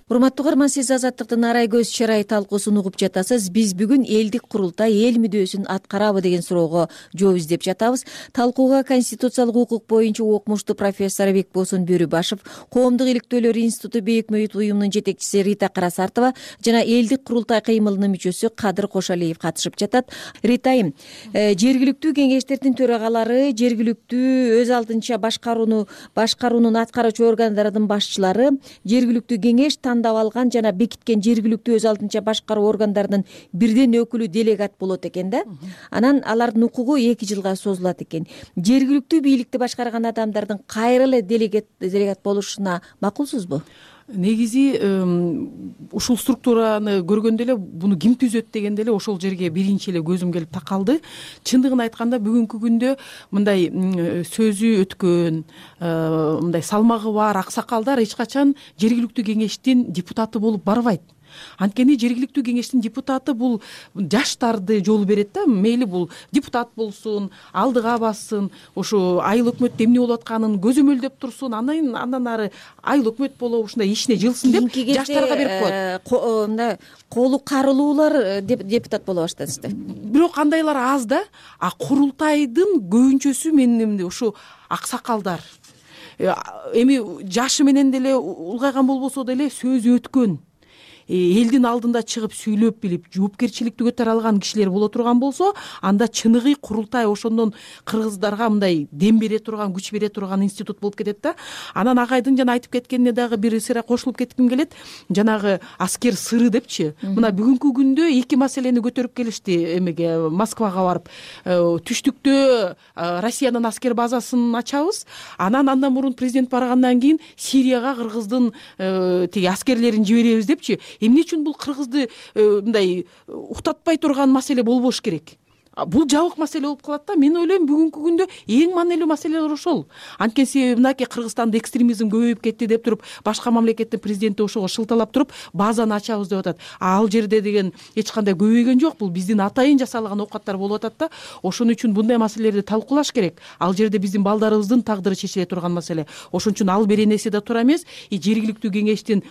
Урматтуу угарман, сиз Азаттыктын Арай көз чарай талкуусун угуп жатасыз. Биз бүгүн элдик курултай эл мүдөөсүн аткарабы деген суроого жооп издеп жатабыз. Талкууга конституциялык укук боюнча окумуштуу профессор Бекбосун Бөрүбашев, Коомдук иликтөөлөр институту бейөкмөт уюмунун жетекчиси Рита Карасартова жана элдик курултай кыймылынын мүчөсү Кадыр Кошалиев катышып жатат. Ритайым, жергиликтүү кеңештердин төрагалары, жергиликтүү өз алдынча башкаруунун аткаруучу органдарынын башчылары, жергиликтүү кеңеш тандап алган жана бекиткен жергиликтүү өз алдынча башкаруу органдарынын бирден өкүлү делегат болот экен да. Анан алардын укугу 2 жылга созулат экен. Жергиликтүү бийликти башкарган адамдардын кайра эле делегат болушуна макулсузбу? Негизи ушул структураны көргөндө эле буну ким түзөт дегенде эле ошол жерге биринчи эле көзүм келип такалды. Чындыгын айтканда бүгүнкү күндө мындай сөзү өткөн, мындай салмагы бар аксакалдар эч качан жергиликтүү кеңештин депутаты болуп барбайт. Анткени жергиликтүү кеңештин депутаты бул жаштарды жол берет да. Мейли бул депутат болсун, алдыга бассын, ошо айыл өкмөттө эмне болуп атканын көзөмөлдөп турсун, андан ары айыл өкмөт болобу, ушундай ишине жылсын деп жаштарга берип коет. Мындай колу карылуулар депутат боло башташты. Бирок андайлар аз да. А курултайдын көбүнчөсү менин ушу аксакалдар. Эми жашы менен деле улгайган болбосо деле сөзү өткөн, элдин алдында чыгып сүйлөп билип жоопкерчиликти көтөрө алган кишилер боло турган болсо, анда чыныгы курултай ошондон кыргыздарга мындай дем бере турган, күч бере турган институт болуп кетет да. Анан Агайдын жана айтып кеткенине дагы бир сыйра кошулуп кетким келет. Жанагы аскер сыры депчи. Мына бүгүнкү күндө 2 маселени көтөрүп келишти эмеге, Москвага барып. Түштүктө Россиянын аскер базасын ачабыз. Андан мурун президент баргандан кийин Сирияга кыргыздын тиги аскерлерин жиберебиз депчи. Эмне үчүн бул кыргызды мындай уктатпай турган маселе болбош керек? Бул жабык маселе болуп калат да. Мен ойлойм бүгүнкү күндө эң маанилүү маселелер ошол. Анткени себеби мынакей Кыргызстанда экстремизм көбөйүп кетти деп туруп, башка мамлекеттин президенти ошого шылталап туруп, базаны ачабыз деп атат. Ал жерде деген эч кандай көбөйгөн жок. Бул биздин атайын жасалган оокаттар болуп атат да. Ошон үчүн мындай маселелерди талкуулаш керек. Ал жерде биздин балдарыбыздын тагдыры чечиле турган маселе. Ошон үчүн ал беренеси да туура эмес. Жергиликтүү кеңештин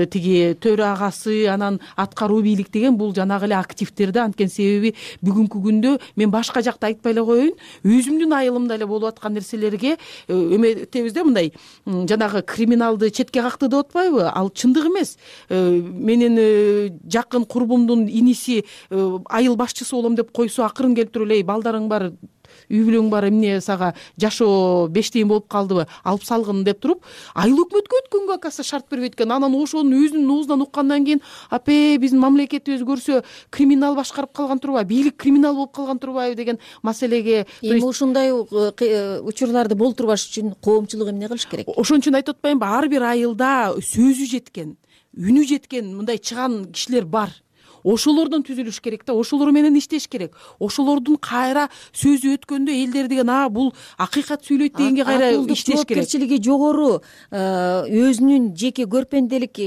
тиги төрагасы, анан аткаруу бийлик деген бул жанагы эле активдер да. Анткени себеби бүгүнкү мен башка жакта айтпай эле коеюн, өзүмдүн айылымда эле болуп аткан нерселерге эметебиз да, мындай жанагы криминалды четке какты деп атпайбы? Ал чындык эмес. Менин жакын курбумдун иниси айыл башчысы болом деп койсо, акырын келип туруп эле балдарың бар, үй бүлөң бар, эмне сага жашоо бештейин болуп калдыбы, алып салгын деп туруп, айыл өкмөткө өткөнгө акасы шарт бербейт экен. Анан ошонун өзүнүн оозунан уккандан кийин, апе биздин мамлекетибиз көрсө криминал башкарып калган турбайбы, бийлик криминал болуп калган турбайбы деген маселеге. Эми ушундай учурларды болтурбаш үчүн коомчулук эмне кылыш керек? Ошон үчүн айтып атпаймынбы, ар бир айылда сөзү жеткен, үнү жеткен мындай чыган кишилер бар. Ошолордон түзүлүш керек да, ошолор менен иштеш керек. Ошолордун кайра сөзү өткөндө элдер деген бул акыйкат сүйлөйт дегенге кайра иштеш керек. Жоопкерчилиги жогору, өзүнүн жеке көрпенделик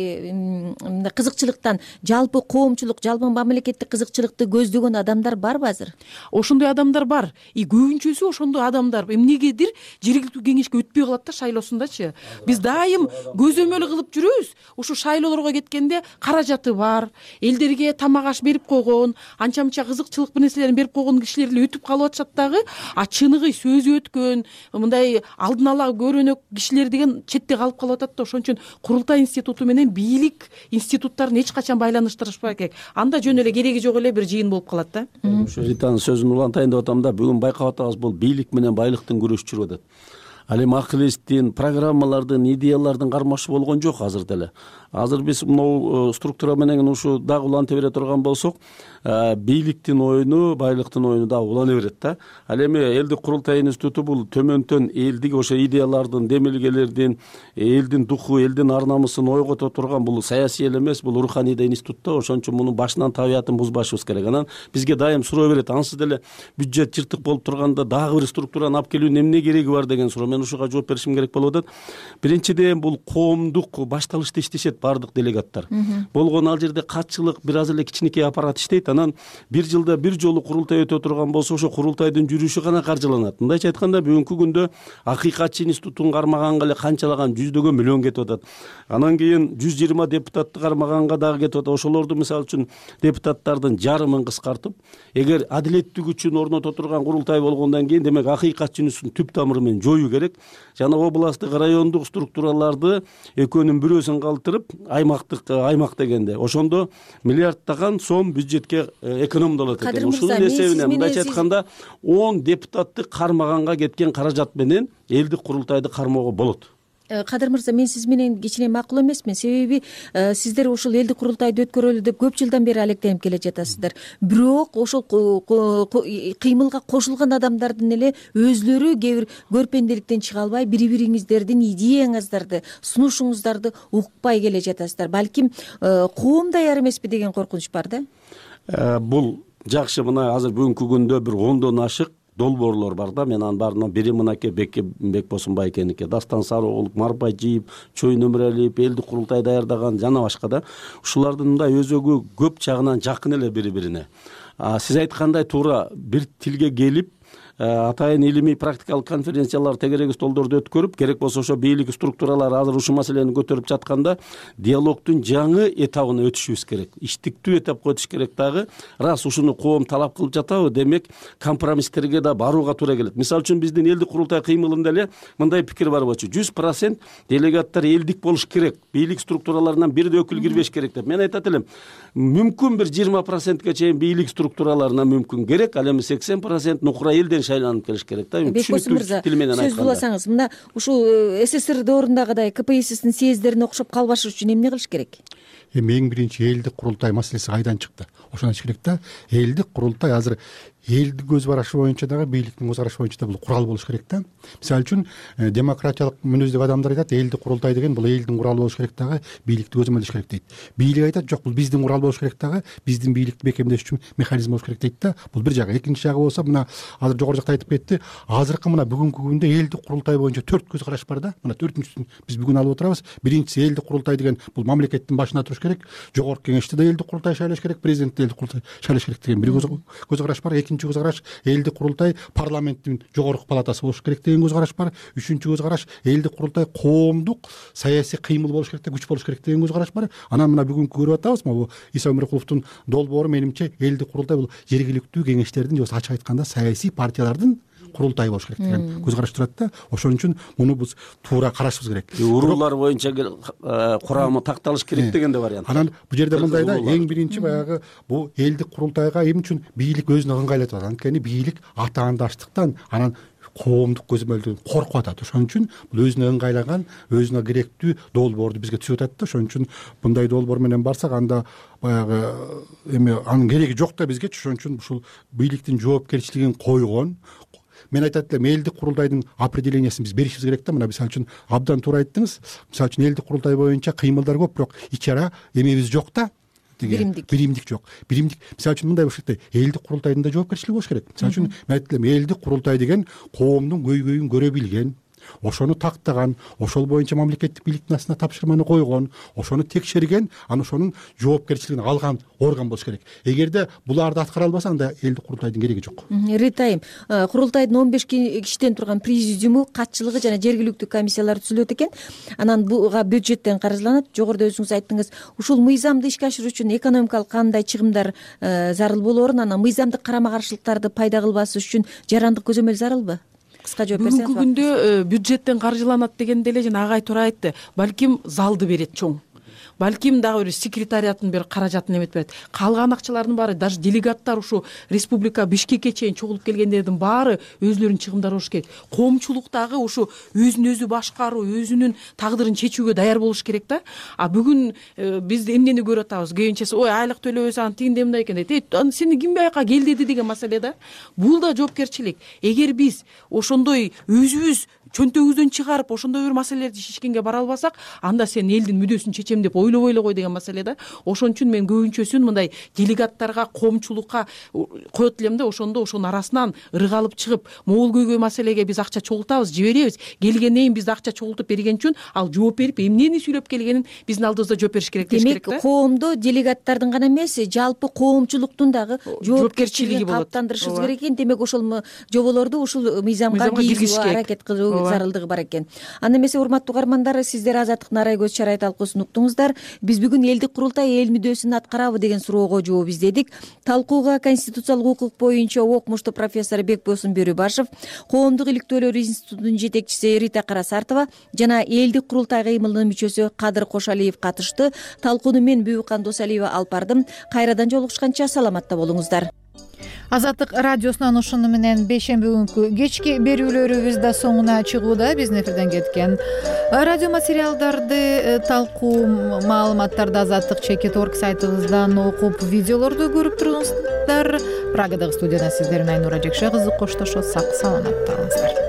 кызыкчылыктан жалпы коомчулук, жалпы мамлекеттик кызыкчылыкты көздөгөн адамдар барбы азыр? Ошондой адамдар бар. Көбүнчөсү ошондой адамдар. Эмнегедир жергиликтүү кеңешке өтпөй калат да шайлоосундачы. Биз дайым көзөмөл кылып жүрөбүз. Ушу шайлоолорго кеткенде каражаты бар, элдерге тамак аш берип койгон, анча-мынча кызыкчылык бир нерселерин берип койгон кишилер эле өтүп калып атышат дагы. Чыныгы сөзү өткөн, мындай алдын ала көрөнөк кишилер деген четте калып атат да. Ошон үчүн курултай институту менен бийлик институттарын эч качан байланыштырышпай керек. Анда жөн эле кереги жок эле бир жыйын болуп калат да. Ушу Ританын сөзүн улантайын деп атам да, бүгүн байкап атабыз, бул бийлик менен байлыктын күрөшү жүрүп атат. ал эми акыл эстин, программалардын, идеялардын кармашы болгон жок азыр деле. Азыр биз могу структура менен ушу дагы уланта бере турган болсок, бийликтин оюну, байлыктын оюну дагы улана берет да. Ал эми элдик курултай институту бул төмөндөн элдик ошо идеялардын, демилгелердин, элдин духу, элдин ар намысын ойгото турган бул саясий эле эмес, бул руханий да институт да. Ошон үчүн мунун башынан табиятын бузбашыбыз керек. Анан бизге дайым суроо берет, ансыз деле бюджет жыртык болуп турганда дагы бир структураны алып келүүнүн эмне кереги бар деген суроо. Мен ушуга жооп беришим керек болуп атат. Биринчиден бул коомдук башталышта иштешет бардык делегаттар. Болгон ал жерде катчылык бир аз эле кичинекей аппарат иштейт. Анан бир жылда бир жолу курултай өтө турган болсо, ошо курултайдын жүрүшү гана каржыланат. Мындайча айтканда, бүгүнкү күндө акыйкатчы институтун кармаганга эле канчалаган жүздөгөн миллион кетип атат. Анан кийин 120 депутатты кармаганга дагы кетип атат. Ошолорду мисалы үчүн депутаттардын жарымын кыскартып, эгер адилеттик үчүн орното турган курултай болгондон кийин, демек акыйкатчы институтун түп тамыры менен жоюу керек. Жана областтык, райондук структураларды экөөнүн бирөөсүн калтырып, аймак дегенде ошондо миллиарддаган сом бюджетке экономдолот экен. Ушунун эсебинен мындайча айтканда 10 депутатты кармаганга кеткен каражат менен элдик курултайды кармоого болот. Кадыр мырза, мен сиз менен кичине макул эмесмин. Себеби сиздер ушул элдик курултайды өткөрөлү деп көп жылдан бери алектенип келе жатасыздар. Бирок ошол кыймылга кошулган адамдардын эле өзлөрү кээ бир көрпенделиктен чыга албай, бири-бириңиздердин идеяңыздарды, сунушуңуздарды укпай келе жатасыздар. Балким коом даяр эмеспи деген коркунуч бар да. Бул жакшы, мына азыр бүгүнкү күндө бир 10дон ашык долбоорлор бар да. Мен анын баарынан бири мынакей Бекбосун байкеники, Дастан Сарыоğlu, Марбажиев, Чоюн Өмүралиев, элдик курултай даярдаган жана башка да. Ушулардын мындай өзөгү көп жагынан жакын эле бири-бирине. Сиз айткандай туура бир тилге келип, атайын илимий практикалык конференциялар, тегерек столдорду өткөрүп, керек болсо ошо бийлик структуралары азыр ушул маселени көтөрүп жатканда диалогдун жаңы этабына өтүшүбүз керек. Иштиктүү этапка өтүш керек дагы. Рас ушуну коом талап кылып жатабы, демек компромисстерге да барууга туура келет. Мисалы үчүн биздин элдик курултай кыймылында эле мындай пикир бар болчу. 100% делегаттар элдик болуш керек. Бийлик структураларынан бир да өкүл кирбеш керек деп. Мен айтат элем, мүмкүн бир 20%ге чейин бийлик структураларына мүмкүн керек, ал эми 80% нукура элден шайланып келиш керек да. Түшүнүктүү тил менен айтканда. Сөз уласаңыз, мына ушул СССР доорундагыдай КПССтин съезддерине окшоп калбаш үчүн эмне кылыш керек? Эң биринчи элдик курултай маселеси кайдан чыкты? Ошону айтыш керек да. Элдик курултай азыр элдик көз карашы боюнча дагы, бийликтин көз карашы боюнча да бул курал болуш керек да. Мисалы үчүн демократиялык мүнөздөгү адамдар айтат, элдик курултай деген бул элдин куралы болуш керек дагы, бийликти көзөмөлдөш керек дейт. Бийлик айтат, жок, бул биздин курал болуш керек дагы, биздин бийликти бекемдеш үчүн механизм болуш керек дейт да. Бул бир жагы. Экинчи жагы болсо, мына азыр жогору жакта айтып кетти, азыркы мына бүгүнкү күндө элдик курултай боюнча 4 көз караш бар да. Мына 4-үчүсүн биз бүгүн алып отурабыз. Биринчиси, элдик курултай деген бул мамлекеттин башына туруш керек. Жогорку кеңеште да элдик курултай шайлаш керек, президент элдик курултай шайлаш керек деген бир көз караш бар. Экинчи көз караш, элдик курултай парламенттин жогорку палатасы болуш керек деген көз караш бар. Үчүнчү көз караш, элдик курултай коомдук саясий кыймыл болуш керек, күч болуш керек деген көз караш бар. Анан мына бүгүнкү көрүп атабыз, могу Иса Өмүркуловдун долбоору менимче элдик курултай бул жергиликтүү кеңештердин, же ачык айтканда саясий партиялардын курултай болуш керек деген көз караш турат да. Ошон үчүн муну биз туура карашыбыз керек. Уруулар боюнча курамы такталыш керек деген да вариант. Анан бул жерде мындай да, эң биринчи баягы бул элдик курултайга эмне үчүн бийлик өзүнө ыңгайлатып атат? Анткени бийлик атаандаштыктан, анан коомдук көзөмөлдөн коркуп атат. Ошон үчүн бул өзүнө ыңгайлаган, өзүнө керектүү долбоорду бизге түзүп атат да. Ошон үчүн мындай долбоор менен барсак, анда баягы эме анын кереги жок да бизгечи. Ошон үчүн ушул бийликтин жоопкерчилигин койгон. Мен айтат элем, элдик курултайдын определениясын биз беришибиз керек да. Мына мисалы үчүн абдан туура айттыңыз. Мисалы үчүн элдик курултай боюнча кыймылдар көп, бирок ичара эмебиз жок да. Биримдик жок. Биримдик. Мисалы үчүн мындай болуш керек да, элдик курултайдын да жоопкерчилиги болуш керек. Мисалы үчүн мен айтат элем, элдик курултай деген коомдун көйгөйүн көрө билген, ошону тактаган, ошол боюнча мамлекеттик бийликтин астына тапшырманы койгон, ошону текшерген, анан ошонун жоопкерчилигин алган орган болуш керек. Эгерде буларды аткара албаса, анда элдик курултайдын кереги жок. Ритайым, курултайдын 15 кишиден турган президиуму, катчылыгы жана жергиликтүү комиссиялар түзүлөт экен. Анан буга бюджеттен каржыланат. Жогоруда өзүңүз айттыңыз, ушул мыйзамды ишке ашыруу үчүн экономикалык кандай чыгымдар зарыл болоорун, анан мыйзамдык карама-каршылыктарды пайда кылбас үчүн жарандык көзөмөл зарылбы? Кыска жооп берсеңиз. Бүгүнкү күндө бюджеттен каржыланат дегенде эле жана агай туура айтты. Балким залды берет чоң. балким дагы бир секретариаттын бир каражатын эметип берет. Калган акчалардын баары даже делегаттар ушу республика Бишкекке чейин чогулуп келгендердин баары өзлөрүнүн чыгымдары болуш керек. Коомчулук дагы ушу өзүн өзү башкаруу, өзүнүн тагдырын чечүүгө даяр болуш керек да. А бүгүн биз эмнени көрүп атабыз? Кийинчеси ой айлык төлөбөсө анан тигиндей мындай экен дейт. Сени ким бияка кел деди деген маселе да. Бул да жоопкерчилик. Эгер биз ошондой өзүбүз чөнтөгүбүздөн чыгарып ошондой бир маселелерди чечкенге бара албасак, анда сен элдин мүддөсүн чечем деп ойлобой эле кой деген маселе да. Ошон үчүн мен көбүнчөсүн мындай делегаттарга, коомчулукка коет элем да, ошондо ошонун арасынан ырык алып чыгып, могул көйгөй маселеге биз акча чогултабыз, жиберебиз. Келгенден кийин биз акча чогултуп берген үчүн ал жооп берип, эмнени сүйлөп келгенин биздин алдыбызда жооп бериш керек деш керек да. Демек, коомдо делегаттардын гана эмес, жалпы коомчулуктун дагы жоопкерчилигин калыптандырышыбыз керек экен. Демек, ошол жоболорду ушул мыйзамга киргизүүгө аракет кылуу зарылдыгы бар экен. Анда эмесе, урматтуу угармандар, сиздер Азаттыктын Арай көз чарай талкуусун уктуңуздар. Биз бүгүн элдик курултай эл мүддөсүн аткарабы деген суроого жооп издедик. Талкууга конституциялык укук боюнча окмуштуу профессор Бекбосун Бөрүбашев, Коомдук иликтөөлөр институтунун жетекчиси Рита Карасартова жана элдик курултай кыймылынын мүчөсү Кадыр Кошалиев катышты. Талкууну мен Бүбүкан Досалиева алып бардым. Кайрадан жолугушканча саламатта болуңуздар. Азаттык радиосунан ушуну менен бейшемби күнкү кечки берүүлөрүбүз да соңуна чыгууда. Биздин эфирден кеткен радио материалдарды, талкуу маалыматтарды Азаттык /org сайтыбыздан окуп, видеолорду көрүп туруңуздар. Прагадагы студияда сиздер менен Айнура Жекше кызы коштошот. Сак саламатта калыңыздар.